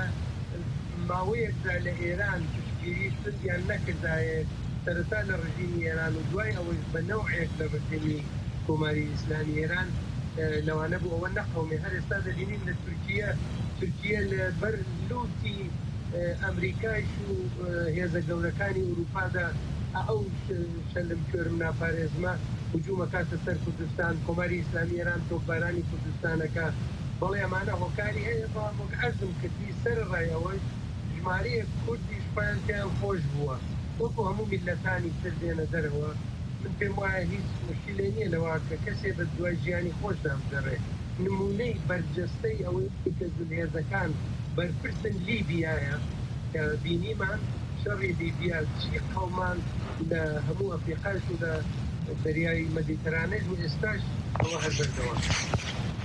ماوەیەکدا لە ئێران پشتگیری سندیان نەکردایە سەرەتا لە ڕژیمی ئێران و دوای ئەوەش بە نەوعێک لە ڕژیمی کۆماری ئیسلامی ئێران لەوانە بوو ئەوە نەقەومێ. هەر ئێستا دەبینین لە تورکیە، تورکیە لە بەر لوتی ئەمریکایش و هێزە گەورەکانی ئەوروپادا ئەو شەلم کوێرم ناپارێزمە هجوومەکاتە سەر کوردستان، کۆماری ئیسلامی ئێران تۆپبارانی کوردستانەکە. بەڵێ ئەمانە هۆکاری هەیە، بەڵام وەک عەرزم کردی سەرەڕای ئەوەش ژمارەیەک کوردیش خۆیان پێیان خۆش بووە وەکو هەموو میللەتانی تر دێنە دەرەوە. من پێم وایە هیچ مشکلێ نییە لەوە کە کەسێ بە دوای ژیانی خۆشدا بگەڕێ. نمونەی بەرجەستەی ئەوەی کە زلهێزەکان بەرپرسن لیبیایە کە بینیمان شەڕی لیبیا چی قەومان لە هەموو ئەفریقاش و لە دەریای مەدیتەرانەش و ئێستاش ئەوە هەر بەردەوام.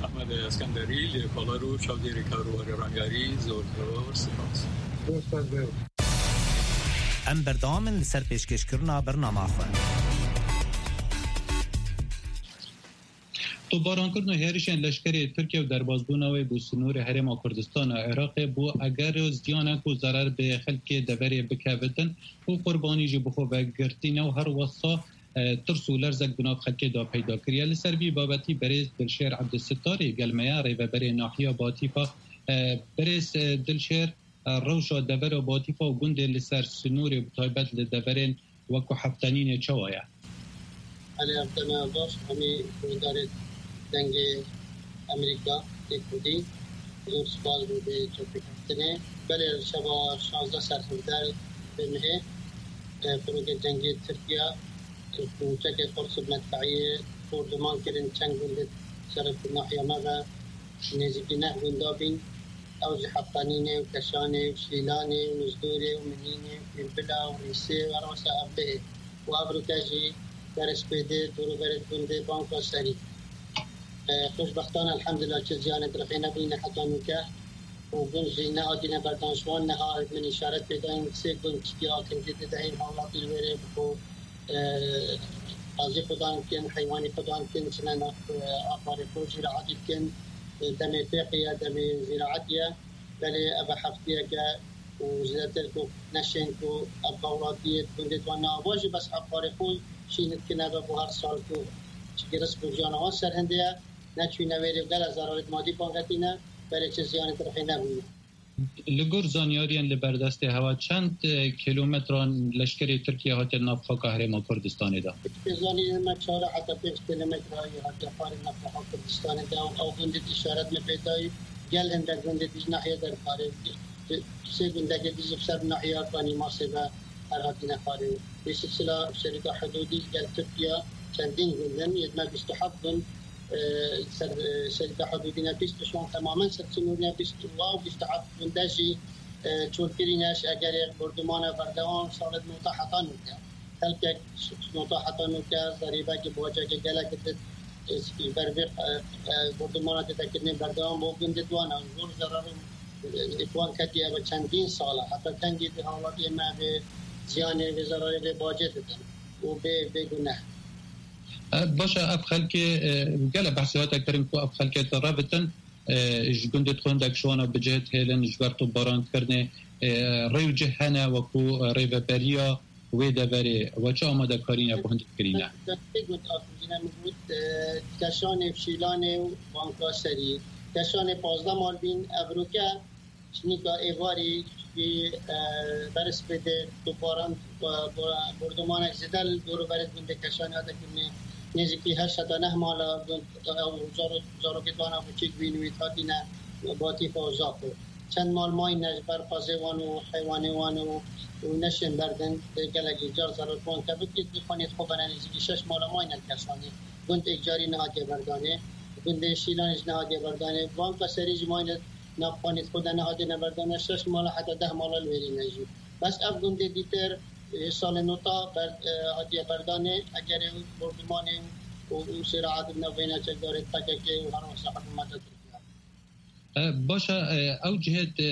ئەحمەد ئەسکەندەری، لێکۆڵەر و چاودێری کاروباری ڕامیاری، زۆر زۆر سپاس. زۆر سپاس بۆ ئێوە. Em berdewam in li ser pêşkêşkirina bernama xwe. Topbarankirin û hêrişên leşkerê Tirkiye û derbasbûna wê bo sînorê Herêma Kurdistana Iraqê bo eger ziyanek û zerer bi xelkê deverê bikevitin û qurbanî jî bi xwe vegirtîne û her wesa, e, tirs û lerzek bi nav xelkê de peyda kiriye. Li ser vî babetî berêz Dilşêr Ebdulsittarê gel me ye, rêveberê nahiya Batîfa. E, berêz, e, Dilşêr, e, rewşa devera Batîfa û gundên li ser sînorê bi taybet li deverên wekî Heftenînê çawa ye? Belê, ev dema baş, hemî guhdarê Dengê Amerîka yê Kurdî, zor spas bo vê çêpêkeftinê. Belê, li şeva şazdeh ser hevdeh mehê, e, pirokê cengê Tirkiye, e, ku çekê Qurs û medfeiyê bombardeman kirin, çend gundê ser nahiya me ve, nêzîkî neh gunda bîn. Ew jî Heftanînê û Keşanê û Şîlanê û Nizdorê û Minînê û Pîrbila û Rîsê û her wesa Evlihê û evroke jî berê spêdê dûr û berê gundê Banka Serî. E, xweşbextane elhemdulillah çi ziyanê dirxê nebûyîne heta nûke û gund jî nehatîne berdan ji wan. Niha min îşaret pê dayîn sê gund çikî akindî didehîn hawlatî li wêrê bi xwe, e, qazî xudan dikin, heywanî xudan dikin, çine nav, e, axarê xwe zîraetî dikin, e, demê fêqî ye, demê zîraetî ye. Belê ev e heftiyeke û zêdetir ku neşên ku ev hawlatiyê di gundê wan neava jî bes axarê xwe şîn dikin, ev e bo her sal ku çikî rizq û jiyana wan ser hindê ye, neçûyne wêrê û gelek zerarê madî bangetîne, belê çi ziyanê dirxê nebûye. Li gor zanyariyên li berdestê hewa çend, e, kilometran leşkerê Tirkiye hatiye nav xaka Herêma Kurdistanê de? Piştî zanînê me çar heta pênc kilometrayê hatiye xwarê nav xaka Kurdistanê de û ew gundê dî îşaret me pê dayî. Gel hindek gundê dî ji nahiyê derkarê. Sê gundekê dî ji ser nahiya Kanî Masê ve her hatine xwarê. Wê silsila şerîta hudûdî gel Tirkiye çendîn gund in, yê me bîst û heft gund, e, ser, e, şerîta hudûdî ne bîst û şeş temamen ser sinûrine bîst û bîst û heft gunde jî, e, çolkirî ne ji egerê bordûmana berdewam salê nota heta nûke. Xelkek nota heta nûke zerîbekî bacekê gelek dit, e, ji ber vê, e, e, bordûmana tê vekirinê berdewam bo gundê di wan e. Zor zerar û, e, li wan ketiye ve çendîn sal e. Heta kengî di hawlatiyê me vê ziyanê, vê zerarê, vê bacê didin û bê, bê guneh. E, baş e, ev xelkê, e, gele behsê hate kirin ku ev xelkê te revitin, e, ji gundê xwe hindek ji wana bi cihê hêlin ji ber topbarankirinê, e, rê û cih hene wekû, e, rêveberiya wê deverê we çi amadekarî ne bo hindek kirîne? Destê got, Akîmjî ne min got, e, Keşanê, Şîlanê û Banka Serî. Keşanê pazdeh mal bîn, evroke Şinîka êvarî, ji, e, berisbê de topbaran, e, bo-, bordomanek zêde li dor û berê gundê Keşanê hate kirinê. Nêzîkî heşt heta neh mala gund, ew zaro-, zarokê wana biçûk bîn wî hatîne Batîfa û Zako. Çend mal mayne ji ber qazê wan û heywanê wan û, û neşên berdin, dê gelekî car zarok wan kevik, di xanê xwe bene nêzîkî şeş mala mayne li Keşanê. Gund êkcarî nehatiye berdanê. Gundê Şîlanê jî nehatiye berdanê. Banka Serî jî mayne nav xanê xwe de nehatine berdane, şeş mala heta deh mala li wêrî ne jî. Bes ev gundê dîtir, ê, salê nota ber-, e, hatiye berdanê, egerê bordumanê û, û sêrahat di navbeyna çekdarê P K K û her wesa hikûmeta Tirkiye. E, baş e, e, ew cihê, e,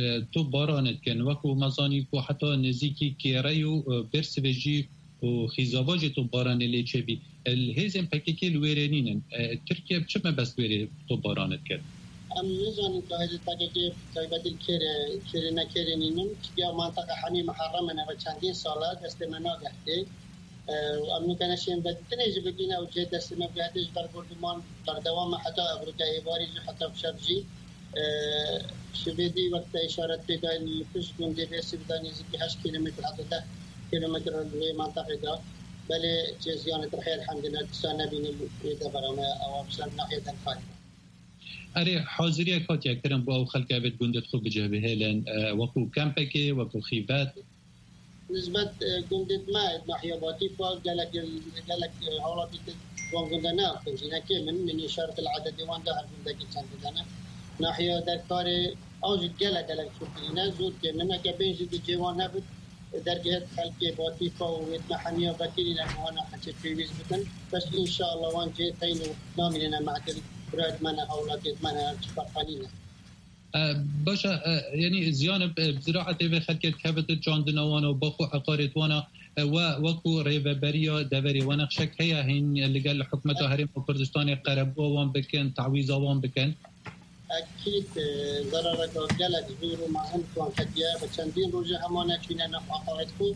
e, topbaranê dikin, wekû me zanî ku heta nêzîkî Kêrey û, e, Bêrsivê jî û Xîzava jî topbaranê lê çêbî. E, li hêzên P K K li wêrê nînin. E, Tirkiye bi çi mebest wêrê topbaranê dike? Em nizanin ku hêzên P K K taybetî li kêrê, kêrê ne kêrê nînin. Çiya manteqa hemî muherrem in, ev çendîn sal e destê me nagehtê. E, û em nûke neşên vedîtinê jî bigîne û cihê destê me bigihete ji ber borduman berdewam e heta evroke êvarî jî heta şev jî. E, Şivêdî wek te îşaret pê dayî li pişt gundê Bêrsivê de nêzîkî heşt kîlometre heta deh kîlometre li wê manteqê de. Belê cê ziyanê tirhê elhemdulillah dîsa nebîne li wê devera me ewa bi ser nahiyê Derkarê de. Erê, haziriyek hatiye kirin bo ew xelke vê gundê xwe bi cih bihêlin, e, wekû kempekê, wekû xîvet? Nisbet, e, gundê me, nahiya Batîfa, gelek, gelek, e, halatî di van gunda ne axir jî ne kêm in, min îşaret li ededê wan da her gundekî çend didene. Nahiya Derkarê, ew jî gelek, gelek çûkirî ne, zor kêm in. Eke bên jî di cê wan nebit, e, dergihet xelkê Batîfa û wêt me hemiya vekirî ne, wana heçê pêwîst bikin. Bes înşallah wan cê teyn û namînine mehdil, birayet me ne, hawlatêt me ne, çi ferqanî ne. E, baş e, e, yanî ziyan bi, bi ziraetê vê xelkê dikevit, çandina wan û bax û eqarêt wana, e, we wekû rêveberiya deverê we nexşek heye hîn li gel hikûmeta Herêma Kurdistanê qerebûya wan bikin, tawîza wan bikin? Ekîd, e, zerareka gelek zor û mezin wan ketiye. Bi çendîn rojê hema neçûne nav eqarêt xwe.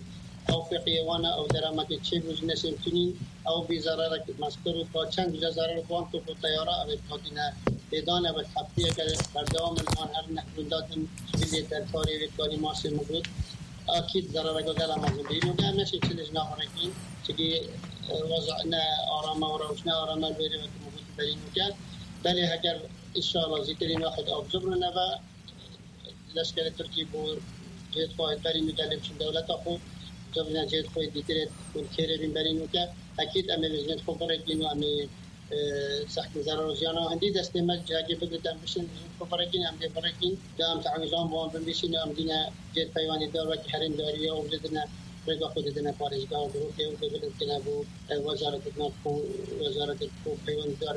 Ew feqiyê wan e, ew derametê çêbû ji neşên tunîn, ew bî zerarek mezkir û ka çend bije zerarek wan top û teyara ev ê hatine lêdan, ev ê heftiyeke berdewam in, wan her neh gunda din ji bilê Derkarê wê Kanî Masê min got, akîd zerareke gela mezin bî. Û em neşên çi li ji nav rekîn, çikî, e, weza ne arame û rewş ne arame li wêrê wekî min got berî nûke. Belê heger înşallah zîtirîn wexid av zibrin neve, leşkerê Tirkî bo cihê xwe berî nûke lê biçin dewleta xwe, civîna cihê xwe dîtirê ku kêrê bîn berî nûke, ekîd em ê vêjinê xwe birêkîn û em ê, e, sehkî zerar û ziyana hindî destê me cihekê bigirît, em bişên vêjinê xwe birêkîn, em dê birêkîn, da em tewîzan bi wan binivîsîn û em dîne cihê peywendîdar wekî herêmdariya û jê dine rêka xwe didine parêzgeha û dirokê û dê bilind kine bo, e, wezaretê nav xwe, wezaretê xwe peywendîdar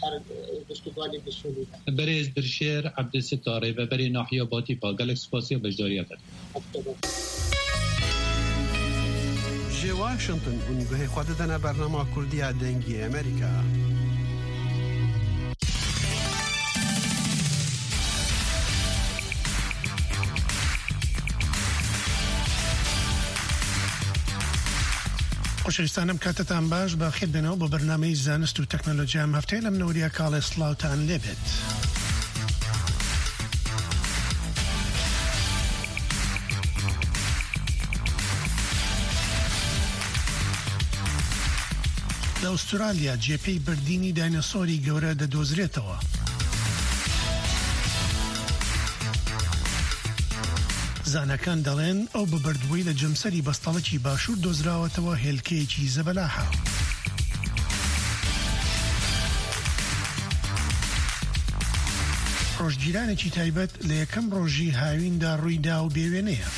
her, e, gişt û balî bi Sûrî de. Berêz Dilşêr Ebdisita, rêveberê nahiya Batîfa, gelek spasiya beşdariya te. Ji Washington hûn guhê xwe didene bernama Kurdiya Dengê Amerîka. خۆشەویستان، ئەم کاتتان باش، بەخێر بێنەوە بۆ بەرنامەی زانست و تەکنۆلۆجیا. ئەم هەفتەیە لەم نەوەریە کاڵێ سڵاوتان لێبێت. لە ئوسترالیا جێپێی بردینی داینەسۆری گەورە دەدۆزرێتەوە. زانەکان دەڵێن ئەو ببردبووی لە جەمسەری بەستەڵەکی باشوور دۆزراوەتەوە هێلکەیەکی زەبەلاحە. ڕۆژگیرانێکی تایبەت لە یەکەم ڕۆژی هاویندا ڕوویدا و بێوێنەیە.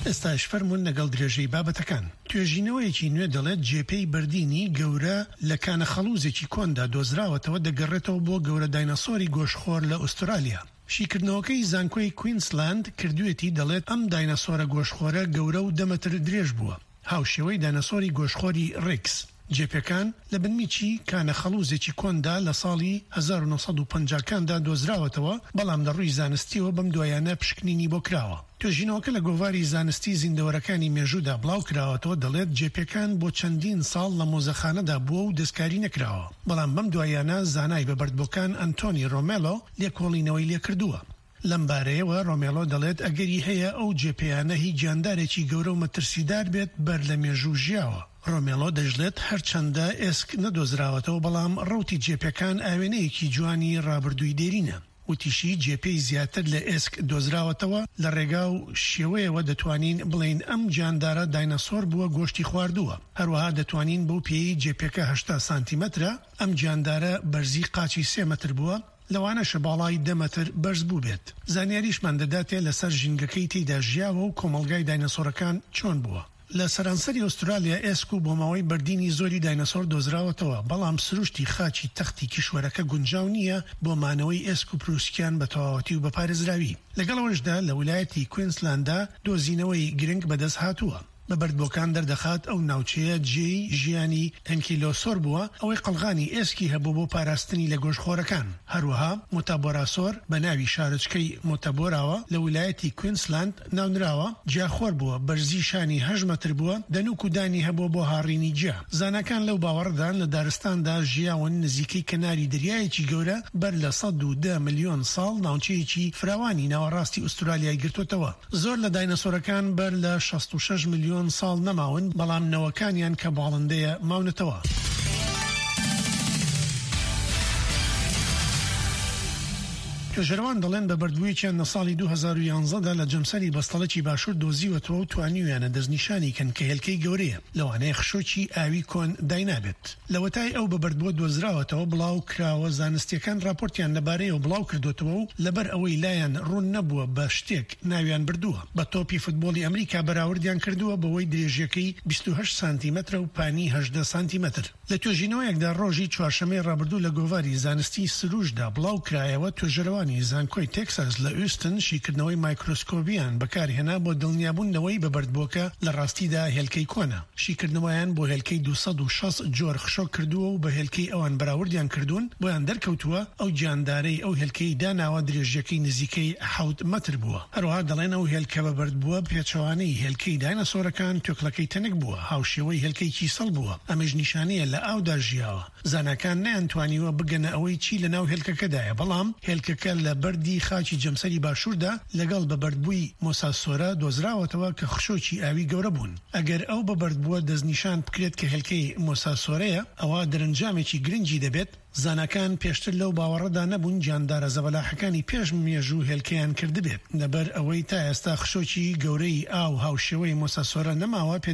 ئێستاش فەرموون لەگەڵ درێژەی بابەتەکان. توێژینەوەیەکی نوێ دەڵێت جێپێی بردینی گەورە لە کانە خەڵوزێکی کۆندا دۆزراوەتەوە، دەگەڕێتەوە بۆ گەورە داینەسۆری گۆشخۆر لە ئوسترالیا. شیکردنەوەکەی زانکۆی کوینسلاند کردوێتی، دەڵێت ئەم داینەسۆرە گۆشخۆرە گەورە و دە مەتر درێژ بووە، هاوشێوەی داینەسۆری گۆشخۆری ڕیکس. جێپێکان لە بنمیچی کانە خەڵوزێکی کۆندا لە ساڵی هەزار و نۆ سەد و پەنجاکاندا دۆزراوەتەوە، بەڵام لە ڕووی زانستیەوە بەم دوایانە پشکنینی بۆ کراوە. توێژینەوەکە لە گۆڤاری زانستی زیندەوەرەکانی مێژوودا بڵاو کراوەتەوە، دەڵێت جێپێکان بۆ چەندین ساڵ لە مۆزەخانەدا بووە و دەستکاری نەکراوە، بەڵام بەم دوایانە زانای بە بەردبووکان ئەنتۆنی ڕۆمێلۆ لێکۆڵینەوەی لێکردووە. لەم بارەیەوە ڕۆمێلۆ دەڵێت ئەگەری هەیە ئەو جێپێیانە هی گیاندارێکی گەورە و مەترسیدار بێت بەر لە مێژوو ژیاوە. ڕۆمێلۆ دەژڵێت هەرچەندە ئێسک نەدۆزراوەتەوە، بەڵام ڕەوتی جێپێکان ئاوێنەیەکی جوانی ڕابردووی دێرینە. وتیشی جێپێی زیاتر لە ئێسک دۆزراوەتەوە لە ڕێگا و شێوەیەوە دەتوانین بڵێن ئەم گیاندارە داینەسۆر بووە، گۆشتی خواردووە. هەروەها دەتوانین بەو پێی جێپێکە هەشتا سانتیمەترە، ئەم گیاندارە بەرزی قاچی سێ مەتر بووە، لەوانەشە باڵای دە مەتر بەرز بوو بێت. زانیاریشمان دەداتێ لەسەر ژینگەکەی تێیدا ژیاوە و کۆمەڵگای داینەسۆرەکان چۆن بووە. لە سەرانسەری ئوسترالیا ئێسک و بۆماوەی بەردینی زۆری داینەسۆر دۆزراوەتەوە، بەڵام سروشتی خاچی تەختی کیشوەرەکە گونجاو نییە بۆ مانەوەی ئێسک و پروسکیان بە تەواوەتی و بە پارێزراوی. لەگەڵ ئەوەشدا لە ویلایەتی کوینسلاندا دۆزینەوەی گرنگ بەدەست هاتووە. بە بەردبووەکان دەردەخات ئەو ناوچەیە جێی ژیانی ئەنکیلۆسۆر بووە، ئەوەی قەڵغانی ئێسکی هەبوو بۆ پاراستنی لە گۆشخۆرەکان. هەروەها مۆتابۆراسۆر بە ناوی شارۆچکەی مۆتابۆراوە لە ویلایەتی کوینسلاند ناونراوە، جیاخۆر بووە، بەرزی شانی هەشت مەتر بووە، دەنووک و دانی هەبووە بۆ هاڕینی جیا. زاناکان لەو باوەڕدان لە دارستاندا ژیاون نزیکەی کەناری دەریایەکی گەورە بەر لە سەد و دە ملیۆن ساڵ ناوچەیەکی فراوانی ناوەڕاستی ئوسترالیای گرتوتەوە. زۆر لە داینەسۆرەکان بەر لە شەست و شەش ملیۆن ساڵ نەماون، بەڵام نەوەکانیان کە باڵندەیە ماونەتەوە. توێژەرەوان دەڵێن بە بەردبوویەکیان لە ساڵی دوو هەزار و یانزەدا لە جەمسەری بەستەڵەکی باشوور دۆزیوەتەوە و توانیویانە دەستنیشانی کەن کە هێلکەی گەورەیە، لەوانەیە خشۆکی ئاوی کۆن داینابێت. لە وەتای ئەو بە بەردبووە دۆزراوەتەوە بڵاو کراوە، زانستیەکان راپۆرتیان لەبارەیەوە بڵاو کردوتەوە و لەبەر ئەوەی لایان ڕوون نەبووە بە شتێک ناویان بردووە. بە تۆپی فوتبۆڵی ئەمریکا بەراوردیان کردووە بەوەی درێژیەکەی بیست و هەشت سانتیمەترە و پانی هەژدە سانتیمەتر. لە توێژینەوەیەکدا ڕۆژی چوارشەممەی ڕابردوو لە گۆڤاری زانستی سروشدا بڵاو کرایەوە، توێژەرەوانی زانکۆی تێکساس لە ئوستن شیکردنەوەی مایکرۆسکۆبیان بەکارهێنا بۆ دڵنیابوون لەوەی بە بەردبووەکە لە ڕاستیدا هێلکەی کۆنە. شیکردنەوەیان بۆ هێلکەی دوو سەد و شەست جۆر خشۆک کردووە و بە هێلکەی ئەوان بەراوردیان کردوون، بۆیان دەرکەوتووە ئەو گیاندارەی ئەو هێلکەی داناوە درێژیەکەی نزیکەی حەوت مەتر بووە. هەروەها دەڵێن ئەو هێلکە بە بەرد بووە پێچەوانەی هێلکەی داینەسۆرەکان، توێکڵەکەی تەنک بووە، هاوشێوەی هێلکەی کیسەڵ بووە، ئەمەش نیشانەیە لە ئاودا ژیاوە. زاناکان نەیانتوانیوە بگەنە ئەوەی چی لە ناو هێلکەکەدایە، بەڵام هێلکەکە لە بەردی خاکی جەمسەری باشووردا لەگەڵ بە بەردبووی مۆساسۆرە دۆزراوەتەوە کە خشۆکی ئاوی گەورە بوون. ئەگەر ئەو بە بەردبووە دەستنیشان بکرێت کە هێلکەی مۆساسۆرەیە، ئەوە دەرەنجامێکی گرنگی دەبێت. زاناکان پێشتر لەو باوەڕەدا نەبوون گیاندارە زەبەلاحەکانی پێش مێژوو هێلکەیان کردبێت، لەبەر ئەوەی تا ئێستا خشۆکی گەورەی ئاو هاوشێوەی مۆساسۆرە نەماوە. پێ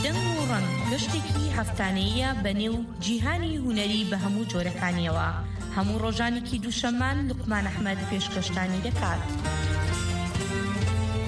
دەنگ و ڕەنگ، گەشتێکی هەفتانەییە بە نێو جیهانی هونەری بە هەموو جۆرەکانیەوە. هەموو ڕۆژانێکی دووشەممان لوقمان ئەحمەد پێشکەشتانی دەکات.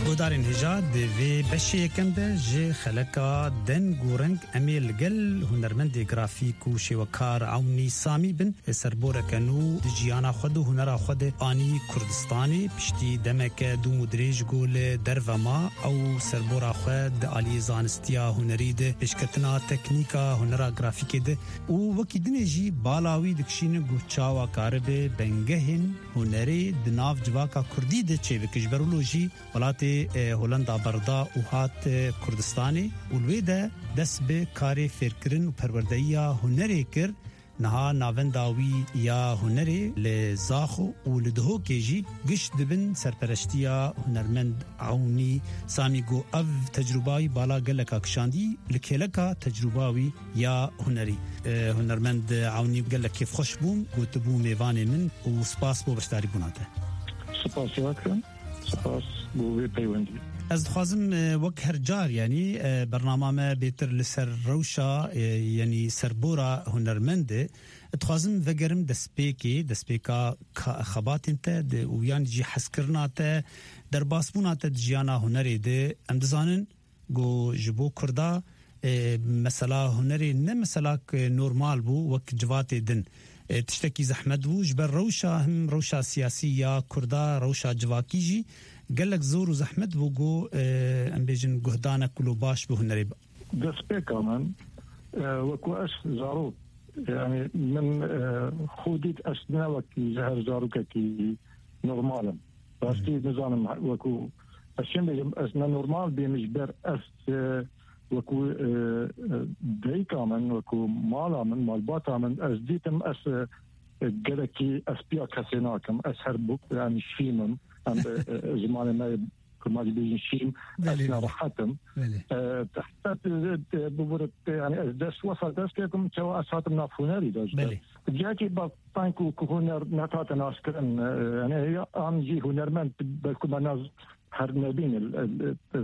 گۆدارên hêja di vê beşê yekem de ji xeleka deng û reng em ê li gel hunermendê grafîk û şêwekar Ewnî Samî bin. Serboreke nû di jiyana xwe de û hunera xwe de anî Kurdistanê. Piştî demeke dûm û dirêj ku li derve ma, ew serbora xwe di aliyê zanistiya hunerî de, pêşketina teknîka hunera grafîkê de û wekî dinê jî bala wî dikişîne ku çawa karibe bengehên hunerê di nav civaka kurdî de çêbike. Ji ber wilo jî welatê e, Holanda berda û hat, e, Kurdistanê û li wê de dest bi karê fêrkirin û perwerdeyiya hunerê kir. Niha navenda wî ya hunerê li Zaxo û li Dihokê jî giş dibin serpereştiya hunermend Ewnî Samî. Got, ev tecrûba wî bala geleka kişandî, li kêleka tecrûba wî ya hunerî. E, hunermend Ewnî, gelek kêfxweş bûm ku tu bû mêvanê min û spas bo beşdarîbûna te. Spas ya dikim. Spas bo vê peywendiyê. Ez dixwazim, e, wek her car, yanî, e, bernama me bêtir li ser rewşa, e, yanî serbora hunermend e. Dixwazim vegerim destpêkê, destpêka ka-, xebatên te de û yan jî hezkirina te, derbasbûna te di jiyana hunerê de. Em dizanin, Ku ji bo Kurda, e, mesela hunerê ne mesela k-, normal bû wek civatê din. E, tiştekî zehmet bû, ji ber rewşa, him rewşa siyasî ya Kurda, rewşa civakî jî gelek zor û zehmet bû ku, e, em bêjin guhdanek ku lo baş bi hunerê. Destpêka min, e, wekû ez zarok, yani min, e, xwe dît ez ne wekî ji her zarokekî normal im. Rastî nizanim wekû ez çi bêjim, ez ne normal bêm ji ber ez, e, wekû, e, e, dayika min, wekû mala min, malbata min, ez dîtim ez, e, e, gelekî ez piya kesê nakim. Ez her bu, yani şîm im. Em, e, e, zimanê me kurmancî bêjin şîm, ez Belê, belê. nerehet im. Belê. E, heta, e, e, bibûre, e, yani ez dest wesa dest pê kim, çawa ez hatim nav hunerî de ji Belê. Cihekî bextan ku, ku huner netate naskirin, e, yani ya an jî hunermend belku me naz her nebîn, e, e, e,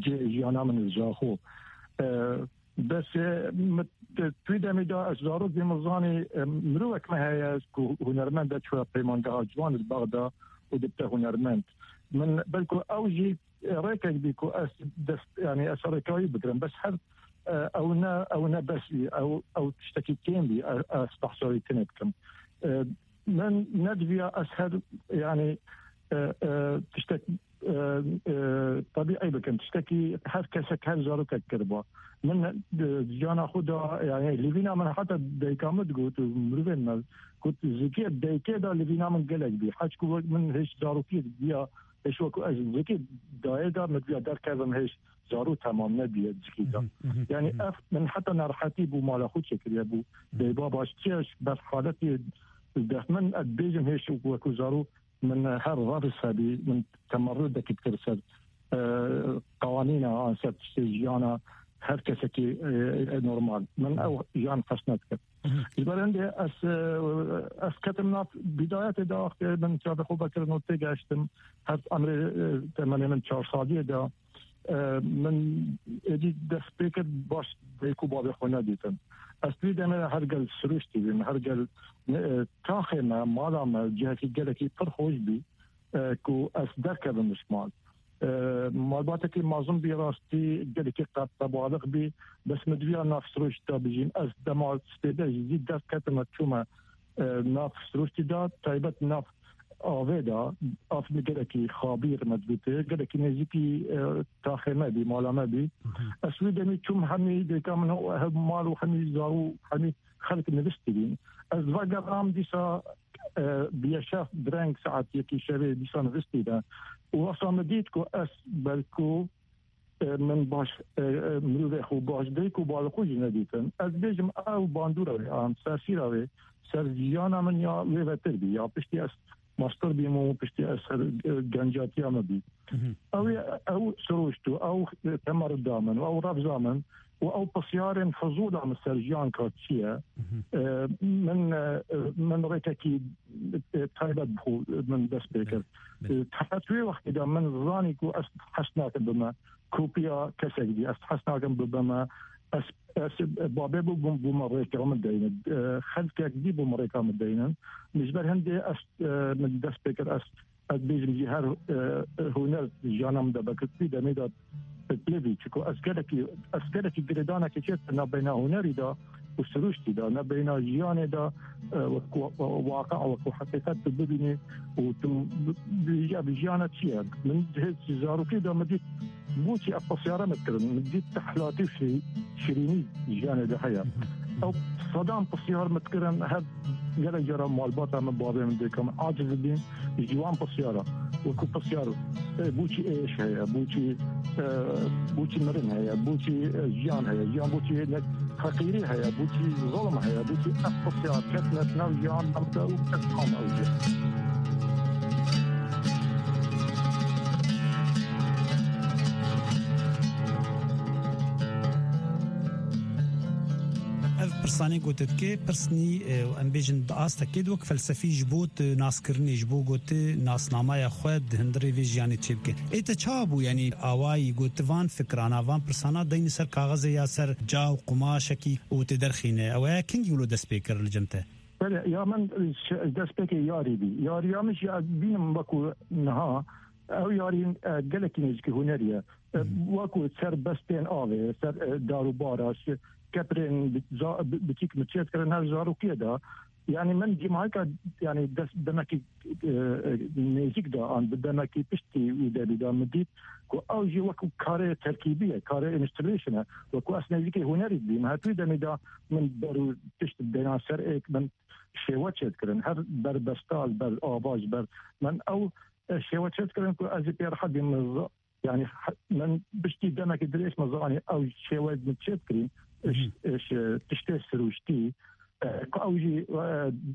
cê jiyana min ji xwe. E, bes, e, mi, tu demê de ez zarok bî min zanî, e, mirovek me heye ku hunermend de çûye peymangeha ciwan li Bexda û dibte hunermend. Min belku ew jî rêkek bî ku ez dest, yani ez rêkawî bigirim. Bes her, e, ew ne, ew ne bes bî, ew, ew tiştekî kêm bî, e, ez behsa wî tune dikim. E, min nediviya ez her, yani, e, e, tiştek, e, e, tebîî bikim. Tiştekî her kesek, her zarokek kiriba. Min, e, jiyana xwe da, yani, lîvîna min heta dayika min digot û mirovên me got, zikê dayikê da lîvîna min gelek bî. Heç ku wek min hêj zarokî diya, Eş wekû ez zikê dayê de min diya derkevim hêj zarû temam nebiye zikî de. Mhm, mhm, Yani mhm. ev min heta nerehetî bû mala xwe çêkiriye bû. Mhm. Bê baba çi eş ber haletê dest min ez bêjim hêj wekû zarû min her revs hebî min temerrudekî dikir ser, e, qewanîna an ser tiştê jiyana her kesekî, e, e, normal. Min ew jiyan xesnet kir. Mhm. Ji ber hindê ez, e, ez ketim nav bidayetê de wextê min çavê xwe vekirin û têgeştim. Her emrê, e, temenê min çar saliyê de, e, min êdî dest pê kir baş dayik û bavê xwe nedîtin. Ez vî demê de her gel sirûştî bîm, her gel, e, taxê me, mala me cihekî gelekî pir xweş bî, e, ku ez derkevim ji mal. E, malbatekî mezin bî rastî, gelekî qe-, qebalix bî, bes min diviya nav sirûşt de bijîm. Ez dema spêde jî zî derketime çûme, e, nav sirûştî de, taybet nav avê de, av min gelekî xabîr me dibîte, gelekî nêzîkî, e, taxê me bî, mala me bî. Mhm. Ez wî demî çûm hemî dêka min û hev mal û hemî zarû, hemî xelk nivistî bîn. Ez vegeram dîsa, e, bi yeşev direng saet yekî şevê dîsa nivistî de. Û wesa min dît ku ez belku, e, min baş, e, e, mirovê xwe baş dayik û bavê xwe jî nedîtin. Ez bêjim ew bandora wê, an sersîra wê, ser jiyana min ya wê vetir bî. Ya piştî ez master bîm û piştî ez ser, e, gencatiya me bî. Mhm. Ew ê, ew sirûşt û ew temerda min û ew revza min û ew pisyarên fizûla min ser jiyan ka çi ye? Mhm. E, min, e, min rêkekî, e, taybet bi xwe min dest pê kir. Belê, belê. E, tehet wê wextê de min zanî ku ez hez nakim bime kopiya kesek dî. Ez hez nakim bibime, ez, ez babê bû bûm, bûme rêka min deynin. E, xelkek dî bûm rêka min deynin. Min ji ber hindê ez, e, min dest pê kir, ez ez bêjim jî her, e, huner jiyana min de vekirtî demê de pitlivî. Çiku ez gelekî, ez gelekî girêdanekê çêt nabeyna hunerî de û sirûştî de, nabeyna jiyanê de, e, wek wa-, wa-, waqia, wek haqîqet tu bibînî û tu bi-, bi-, ya bi jiyana çi ye? Min hêz zarokî de min dît, bû çi ev pisyara min kirin, min dît tehlatî û şî-, şirînî jiyanê de heye. Ew sedan pisyar min kirin, her gelek cara malbata min, bavê min, dêka min aciz bîn ji wan pisyara. Wekî pisyar, e, boçî êş heye, boçî, e, boçî mirin heye, boçî, e, jiyan heye, jiyan boçî ne-, feqîrî heye, boçî zulm heye, boçî ev pisyar ketine nav jiyan me de û kes kam ew jî. Ev pirsanê gote dike, pirsnî, e, em bêjin di astekê de wek felsefî ji bo tu naskirinê, ji bo gote nasnameya xwe di hundirê vê jiyanê çêbike. Ê te çawa bû, yanî awayî gotivan fikrana, van pirsana deyne ser kaxezê ya ser ca û qumaşekî û tê derxîne? Ew e kengî wilo dest pê kir li cem te? Belê, ya min ş-, destpêkê yarî bî. Yariya min jî ez bînim wekû niha. Ew yarî, e, gelekî nêzîkî hunerî ye. E, wekû ser bestên avê, ser, e, dar û bara, şi-, keprên bi-, za-, bi-, biçîk min çêdikirin her zarokiyê de. Yanî min dîmahika, yanî dest demekî, e, e, nêzîk de an bi demekî piştî wî demî de min dît ku ew jî wekû karê terkîbî ye, karê installation e. Wekû ez nêzîkî hunerî dibîm. Her wî demî de min ber û pişt dêna ser êk min şêwe çêdikirin. Her ber besta, ber ava, ji ber min ew, e, şêwe çêdikirin ku ez ê pê rehet bîm. Min z-, yanî he-, min piştî demekî dirêj min zanî ew şêwe min çêdikirîn, Hı hı. iş, iş, e, tiştê sirûştî, e, ku ew jî,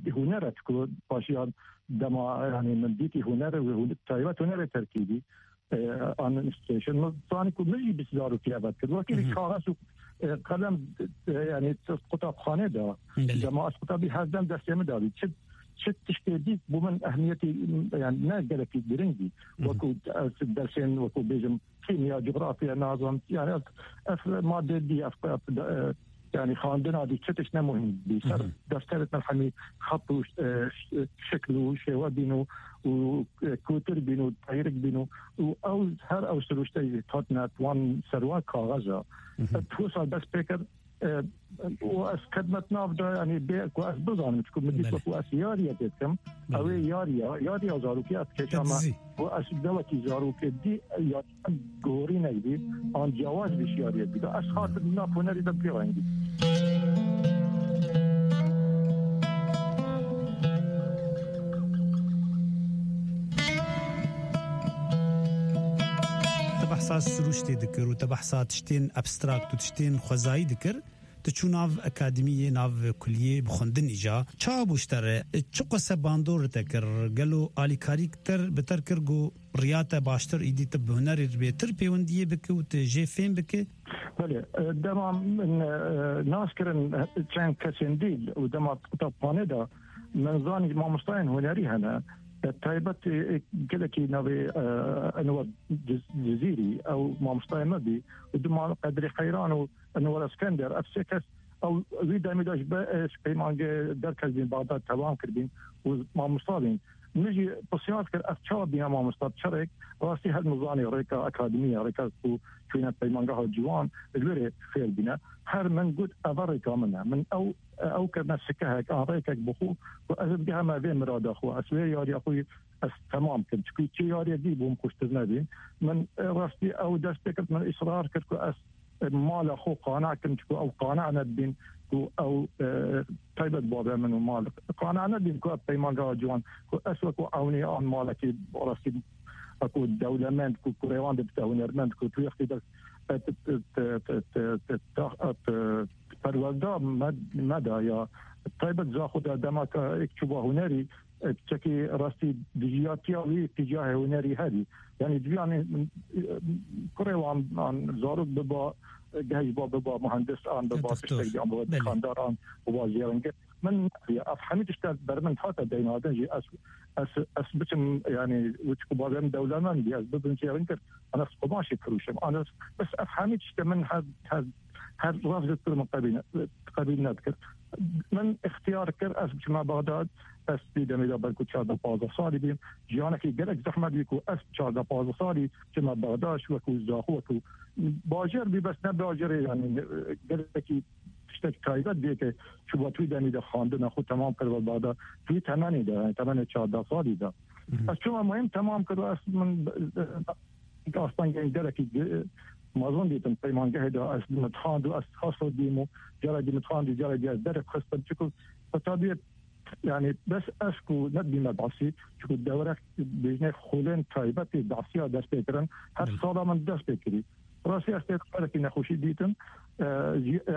e, huner e ku paşiyan dema, yanî min dîtî huner, hun-, taybet hunerê terkîbî, e, an installation. Min zanî ku min jî bi zarokî ev dikir. Wekî Hı hı. kaxez û, e, qelem, e, yanî qutabxanê de, Belê. dema ez qutabî her dem destê min dabî. Çi, çi tiştê dît bû min ehmiyetî, yanî ne gelekî giring bî. Hı hı. Wekû ez dersên, wekû bêjim, kîmya, cografya nazan, yanî ev, ev madde dî, ev, ev, e, yanî xandina dî, çi tişt ne muhîm bî. Ser Hı hı. defterê min hemî xet û, e, ş-, şekil û şêwe bîn û, û, e, kûtir bîn û teyrik bîn û, û ew, her ew sirûşte jî hatine wan ser wan kaxeza. Hı hı. Ev wisa dest pê kir, e, û ez kedmet nav de, yanî bê ku ez bizanim, çiku min dît Belê. wekû ez yariyekê dikim, Belê. ew ê yariya, yariya zarokî ez kêşa me, Dizî. ku ez dewekî zarokê dî, ya gorînek bî, an ciyawaz bî ji yariyê dî. Ez hatim nav hunerî de pê rengî. Te behsa sirûştê dikir û te behsa tiştên abstrakt û tiştên xwezayî dikir. Tu çû nav akademiyê, nav kuliyê bi xwendinî ja. Çawa bû ji te re? Çi qese bandor li te kir? Gelo alîkarî ter, bi ter kir ku riya te baştir îdî tu bi hunerê bêtir pêwendiyê bike û tu jê fêm bike? Belê, e, dema min, e, nas kirin, e, çend kesên dî û dema qutabxanê de min zanî mamostayên hunerî hene. E, taybet, e, gelekî navê, e, Enwer Ciz-, Cizîrî, ew mamostayê me bî. Û dima Qedrî Xeyran û Enwer Eskender, ev sê kes, ew wî demî de ji be-, ji peymangê derketibîn, Bexdad tewam kiribîn û mamosta bîn. Min jî pisyar kir, ev çawa bîne mamosta, bi çi rêk? Rastî her min zanî rêka akademî ye, rêka ku çûne peymangeha ciwan, li wê rê fêr bîne. Her min got, ev rêka min e. Min ew, ew kirine sikehek, an rêkek bi xwe, ku ez bigehime vê mirada xwe, ez vê yariya xwe ez temam kim. Çikû çi yariyê dî bûm xweştir nebîn. Min, e, rastî ew dest pê kir, min îsrar kir ku ez, e, mala xwe qane kim, çikû ew qane nebîn ku ew, e, taybet babê min û mal qane nebîn ku ev peymangeha ciwan, ku ez wekû ewnî an malekî rastî, ku dewlemend, ku kurê wan de bite hunermend, ku tu wextî de, e, t-, t-, t-, t-, t-, t-, ta-, e, t-, perwerde me, me da ya taybet za xwe de dema ke êk çûba hunerî, e, çekî rastî dijiyatiya wî tîcahê hunerî hebî. Yanî divê, yanî, e, kurê wan an zarok biba, e, gehîba biba muhendis an biba Doktor. tiştek an biba Belê. dikandar an biba jêrengir. Min ya ev hemî tişt ber min hate deynadin jî ez, ez, ez biçim, yanî, wî ku bavê min dewlemend bî, ez bibim jêrengir. An ez qumaşê firûşim. An ez, bes ev hemî tiştê min her, her, her rast dikir min qebîl ne-, qebîl nedikir. Min îxtiyar kir, ez biçime Bexdad, ez vî demê de belkû çardeh pazdeh salî bîm. Jiyanekî gelek zehmet bî ku ez çardeh pazdeh salî çime Bexdad, wekû zaxo, wekû bajêr bî, bes ne bajêrê, yanî, gelekî tiştek taybet bê ke çûba tu demî de xwendina xwe temam kir ve Bexdad. Tu temenê de, yanî temenê çardeh salî de. Hı hı. Ez çûme muhîm temam kir, ez min, e, astengên gelekî gi-, mezin dîtim peymangehê de, ez dimixand û ez xaso dîm û cara dimixand û cara dî ez derê xistim. Çiku qutabiyê Yani bes ez ku nebîme behsî, çiku dewrek bêjinê xulên taybetê behsiya dest pê kirin, her Belê. sala min dest pê kirî. Rastî ez tê xerekî nexweşî dîtim. E, jî, e,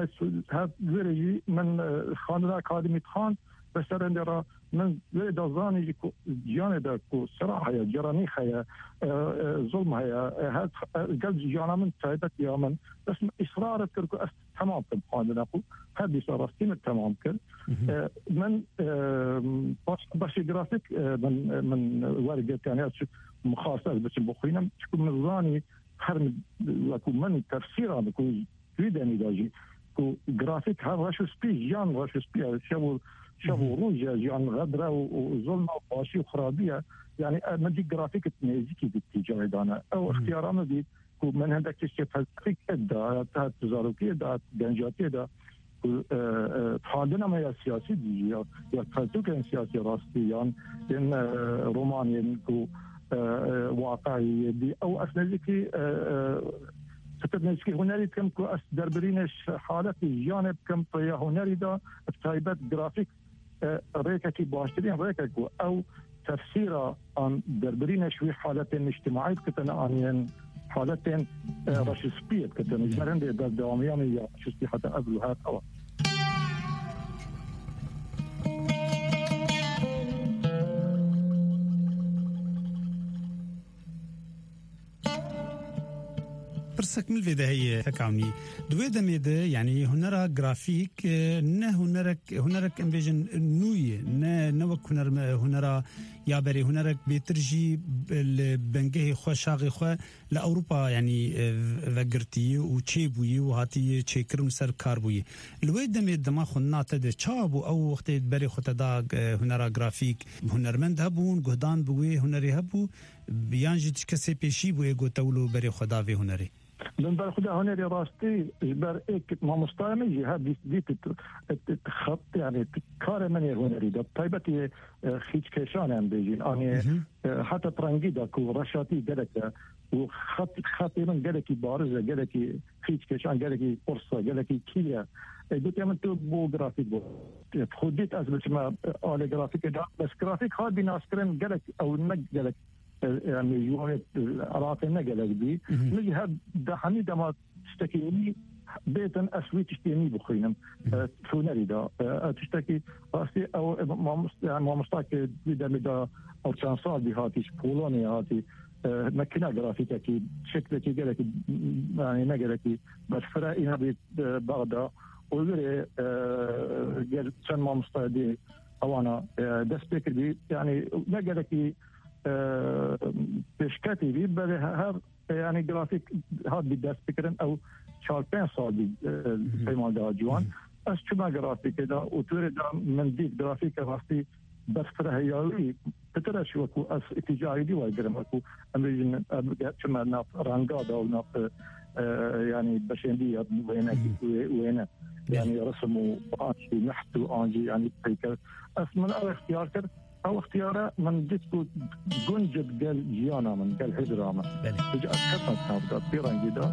ez her wêrê jî min, e, xandina akademî dixan, be serendê re min wê de zanî jî ku ciyanê de ku sira heye, ceranî heye, e, e, zulm heye, e, her, e, gel jiyana min taybet ya min. Bes min îsrar kir ku ez temam kim xwendina xwe. Her dîsa rastî min temam kir. Mhm. E, min, e, baş, başê grafîk, e, min, min wergirt, yani ez çi min xwest ez biçim bixwînim. Çiku min zanî her min, wekû min tefsîra min ku wî demî de jî ku grafîk her reş û spî, jiyan reş û spî ye, şev û, şev û Mhm. roj e, jiyan xedre û, û zulm e, xweşî û xirabî ye. Yani, e, min dî grafîk nêzîkî dî tîcarê dane. Ew Mhm. ixtiyara min dî ku min hindek tiştê felsefîk da, ya ta zarokiyê da, gencatiyê da, ku, e, e, xwendina me ya siyasî dî, ya, ya pertûkên siyasî rastî, yan yên, e, romanên ku, e, e, waqiî dî. Ew ez nêzîkî, e, e, pitir nêzîkî hunerî dikim ku ez derbirînê ş-, haletê jiyanê bikim, rêya hunerî de, bi taybet grafîk, e, rêkekî baştirîn rêkek bû. Ew tefsîra an derbirîne ji wî haletên niştimaî dikitin, an yên haletên, e, Mhm. reşispiyê dikitin. Ji ber hindê berdewamiya min ya reşispî heta ev û her ew. Pirsek min vê de heye, Hekawnî. Di wê demê de, yanî hunera grafîk, e, ne hunerek, hunerek em bêjin nû ye, ne, ne wek huner, hunera ya berê, hunerek bêtir jî li bengehê xwe, şaxê xwe li Ewropa, yanî, e, vegirtiye û çêbûye û hatiye çêkirin û ser kar bûye. Li wê demê dema xwendina te de çawa bû? Ew wextê berê xwe te da, e, hunera grafîk, hunermend hebûn, guhdan bi wê hunerê hebû, yan jî tu kesê pêşî bû ê ku te wilo berê xwe da vê hunerê? Min ber xwe da hunerê rastî ji ber êk mamostaya min jî her dît, dît, t-, t-, t-, xet, yani t-, karê min ê hunerî de, taybetî, e, xîçkêşan em bêjin. Anê, Mhm. e, heta pirengî de ku reşatî gelek e û xet, xetê min gelekî bariz e, gelekî xîçkêşan, gelekî qurs e, gelekî kî ye. E, gotiye min tu bo grafîk bo. E, xwe dît ez biçime, e, alê grafîkê de. Bes grafîk hat bî naskirin gelek ew ne gelek e, yani ji wan, e, Iraqê ne gelek bî. Mhm. Min jî her de hemî dema tiştekî nî bêtin ez wî tiştê nî bixwînim. Mhm. E, hunerî de. E, e, tiştekî rastî ew, e, mamost-, yani mamostakê wî demê de ew çend sal bî hatî, ji Polonyayê hatî. E, mekîna grafîkekî, şeklekî gelekî, yani ne gelekî berfireh, îna bî, e, Bexda. Û wê rê, e, gel çend mamosta dî ewana, e, dest pê kirbî. Yani ne gelekî e, pêşketî bî, belê he-, her, e, yani grafîk hat bî dest bikirin, ew çar pênc sal bî, e, Mhm. peyman de ciwan. Mhm. Ez çûme grafîkê de û tu rê de min dît grafîke rastî berfirehiyawî pitir e ji wekû ez îtîcayî dî wergirim, wekû em bêjin, em ge-, çime nav ranga de û nav, e, yani beşêndî ya wêne, Mhm. wê-, wêne. Belê. Yani resim û an jî neht û an jî yani peyker. Ez min ew ixtiyar kir, Ew ixtiyara min dît ku gunc digel jiyana min, gel hizra min. Belê. Ji ez ketim nav de, pê rengî de.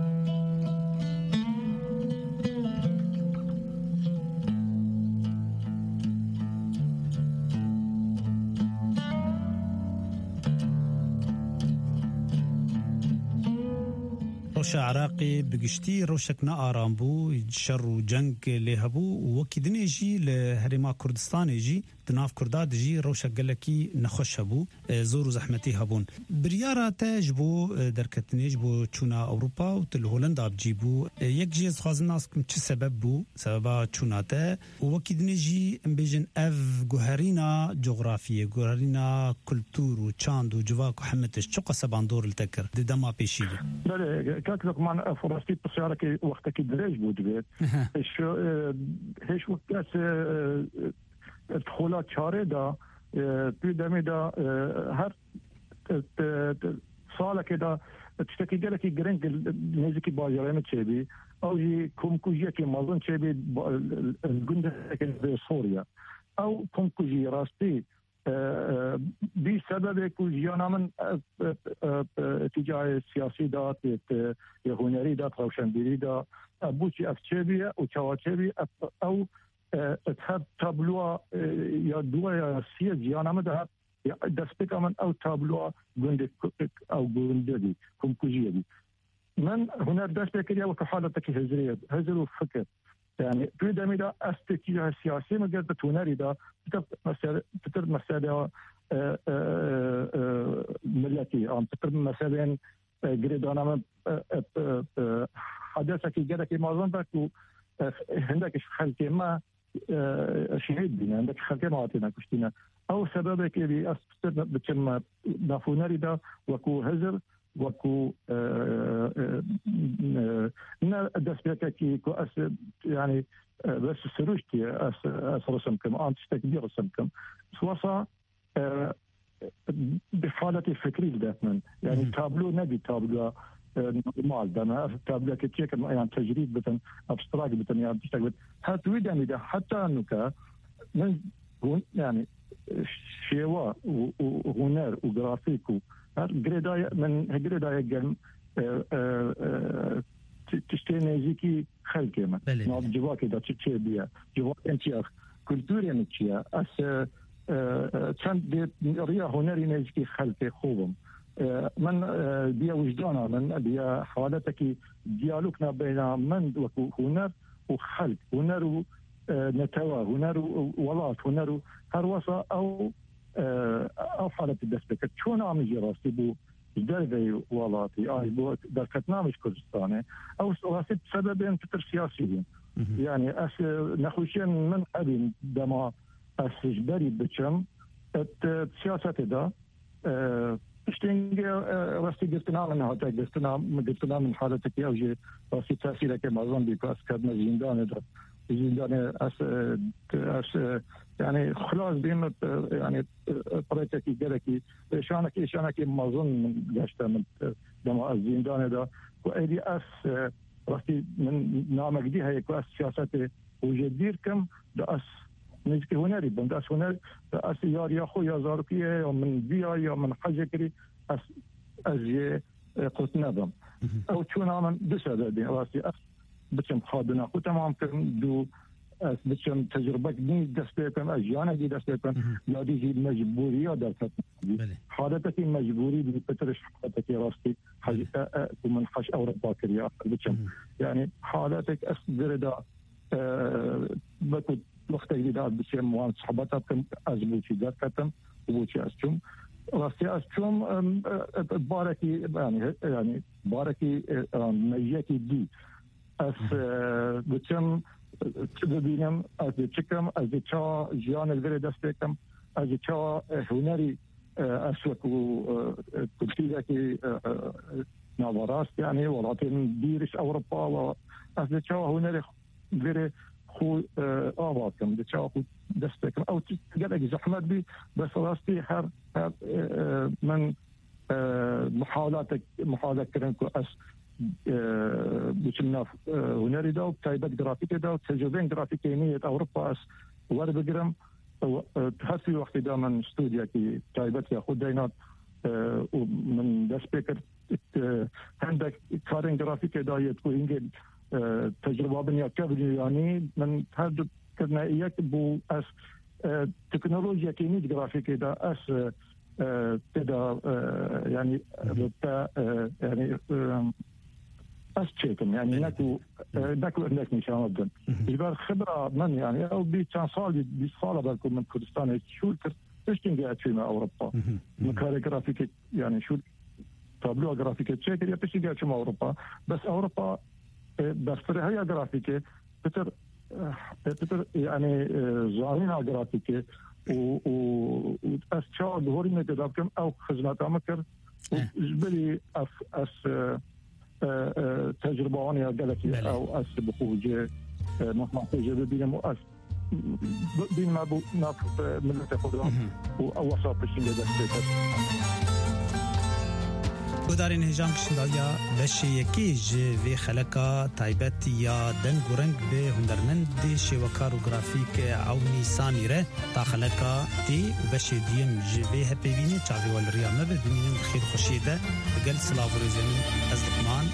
Rewşa Iraqê bi giştî rewşek nearam bû, şer û ceng lê hebû û wekî dinê jî li Herêma Kurdistanê jî di nav Kurda de jî rewşek gelekî nexweş hebû, e, zor û zehmetî hebûn. Biryara te ji bo, e, derketinê, ji bo çûna Ewropa û tu li Holenda bi cî bû. E, yek jî ez dixwazim nas bikim çi sebeb bû, sebeba çûna te. Û wekî dinê jî em bêjin ev guherîna cografiyê, guherîna kultûr û çand û civak û heme tişt çi qese bandor li te kir di dema pêşî de? Belê, kak Lokman, ev rastî pirsyareke wextekî dirêj bû divê. Ehe. Şu, e, hêj wek kes, e, Di xola çarê de, e, tu demê de, e, her, e, e, salekê de tiştekî gelekî giring nêzîkî bajarê min çêbî. Ew jî komkujiyekî mezin çêbî, ba-, gundekê li Soriye. Ew komkujî rastî, e, e, bî sebebê ku jiyana min, e, e, e, e, tîcayê siyasî de, tê, tê, yê hunerî de, rewşenbîrî de, e, bû çi ev çêbî ye û çawa çêbî, ev, ew e, her tabloa, e, ya duwa ya siyê ciyana min de her, ya destpêka min ew tabloa gundê ku-, ew gundê bî, komkujiyê bî. Min huner dest pê kiriye wekî haletekî hizrê, hizr û fikir. Yani, tu demî de ez têkî ya siyasî min girtî, tu hunerî de, pitir mesele, pitir mesele, e, e, e, milletî, an pitir meselên, e, girêdana min, e, e, e, e, hadesekî gelekî mezin be ku, e, hindek ji xelkê me, e, şehîd bîne, hindek xelkê me hatine kuştîne. Ew sebebekê bî, ez pitir biçim me nav hunerî de, wekû hizr, wekû, e, e, e, ne destpêkekî ku ez, yani, e, bes siruştî ez, ez resim kim, an tiştek dî resim kim. Wesa, e, bi haletê fikrî li dest min. Yani, Mhm. tablo nebî tabloya, e, normal de me. Ez tabloyeke çêkim, yan tecrîd bitin, abstrakt bitin, yan tiştek bitin. Her tu wî demî de, heta nuke, min hûn, yani, e, şêwa û, û huner û grafîk û her girêdaye, min girêdaye gel, e, e, e, ti-, tiştê nêzîkî xelkê min. Belê, Nav belê. civakê de çi çêbûye, civakên çi ye, kulturê min çi ye. Ez, e, e, e, çend dê riya hunerî nêzîkî xelkê xwe bim. E, min, e, biya wijdana min, biya haletekî diyalog nabeyna min wekû huner û xelk, huner û, e, netewe, huner û, û welat, huner û her wesa ew, e, ew haletî dest pê kir. Çûna min jî rastî bû ji derveyî welatî, ay, bû derketina min ji Kurdistanê. Ew rastî sebebên pitir siyasî bûn. Mhm. Yani, ez, e, nexweşiyên min hebîn dema ez ji berî biçim, et, e, siyasetê de, e, piştî hingê, e, rastî girtina min hate, girtina, girtina min haletekî ew jî rastî tesîreke mezin bî ku ez ketime zîndanê de. Zîndanê ez, e, ez, e, yani xilas bîm, e, yani, e, pirêtekî gelekî, êşanekî, êşanekî mezin min geşte min, e, dema ez zîndanê de. Ku êdî ez, e, rastî min namekdî heye ku ez siyasetê û jê dîr kim, da ez nêzîkî hunerî bim, da ez huner, da ez yariya xwe ya zarokiyê ya min viya ya min hecê kirî, ez, ez jê, e, qut nebim. Mhm. Ew çûna min du sebebê, rastî ez biçim xwedina xwe temam kirim, du ez biçim tecrubek nî dest pê bikim, ez jiyanek dî dest pê bikim, Mhm. ya dî jî mecbûriya derketin. Belê. Haletekî mecbûrî bî pitir ji haletekî rastî hej-, Belê. e, e, ku min hej Ewropa kiriye, ez biçim. Mhm. Yani haletek ez girê de, e, wekû wextek dî de ez biçim wan sohbeta bikim, ez bo çi derketim û bo çi ez çûm. Rastî ez çûm, em, e, e, barekî, yani, he-, yani barekî, e, e, mejiyekî dî. Ez, e, diçim, e, çi bibînim, ez dê çi kim, ez dê çawa jiyanê li virê dest pê kim, ez dê çawa, e, hunerî, e, ez wekû, e, e, kultûrekî, e, e, naverast, yani welatên dîr ji Ewropa ve, ez dê çawa hunerê virê xwe, e, ava kim, dê çawa xwe dest pê kim. Ew tişt gelek zehmet bî, bes rastî her, her, e, e, min e, muhawelatek, muhawele kirin ku ez, e, biçim nav, e, hunerî de û bi taybet grafîkê de û tecrubeyên grafîkê nî yêt Ewropa ez werbigirim. E, e, her sî wextî de min stûdyekî taybet ya xwe deynat, e, û min dest pê kir, e, hindek karên grafîkê de yêt ku hingê, e, tecruba bin ya kevn û yanî min her du kirine yek bû ez, e, teknolojiyekê nî di grafîkê de ez, e, e, tê de, e, yani, Hı hı. te, e, yani, e, ez çêkim, yani, Belê, ne ku, belê. e, ne ku endek nîşana bidin. Hı hı. Ji ber xibra min, yani, ew bî çend salî, bîst sala belku min Kurdistanê şûr kir, piştî ge çûme Ewropa. Hı hı. Hı hı. Min karê grafîkê, yani, şûr, tabloya grafîkê çêkiriye, piştî ge çûme Ewropa. Bes Ewropa, e, berfirehîya grafîkê, pitir, e, pitir, yani, e, zanîna grafîkê û, û, û ez çawa dihorîme têda bikim, ew xizmeta min kir û Eh. ji berî ez, ez, e, e, e, tecrüba wan ya gelekî Belê. ew ez bi xwe cê, e, mehma xwe jê bibînim û ez bînime bo nav, e, miletê xwe de Mhm. û ew wesa piştî lê dest pê kir. Guhdarên hêja, em kişîn dawiya beşê yekê ji vê xeleka taybet ya deng û reng bi hunermendê şêwekar û grafîk Ewnî Samî re. Ta xeleka tê û beşê duyem ji vê hevpeyvînê çavê we li riya me be. Bimînin di xêr û xweşiyê de. Bi gel silav û rêzê min, ez Luqman.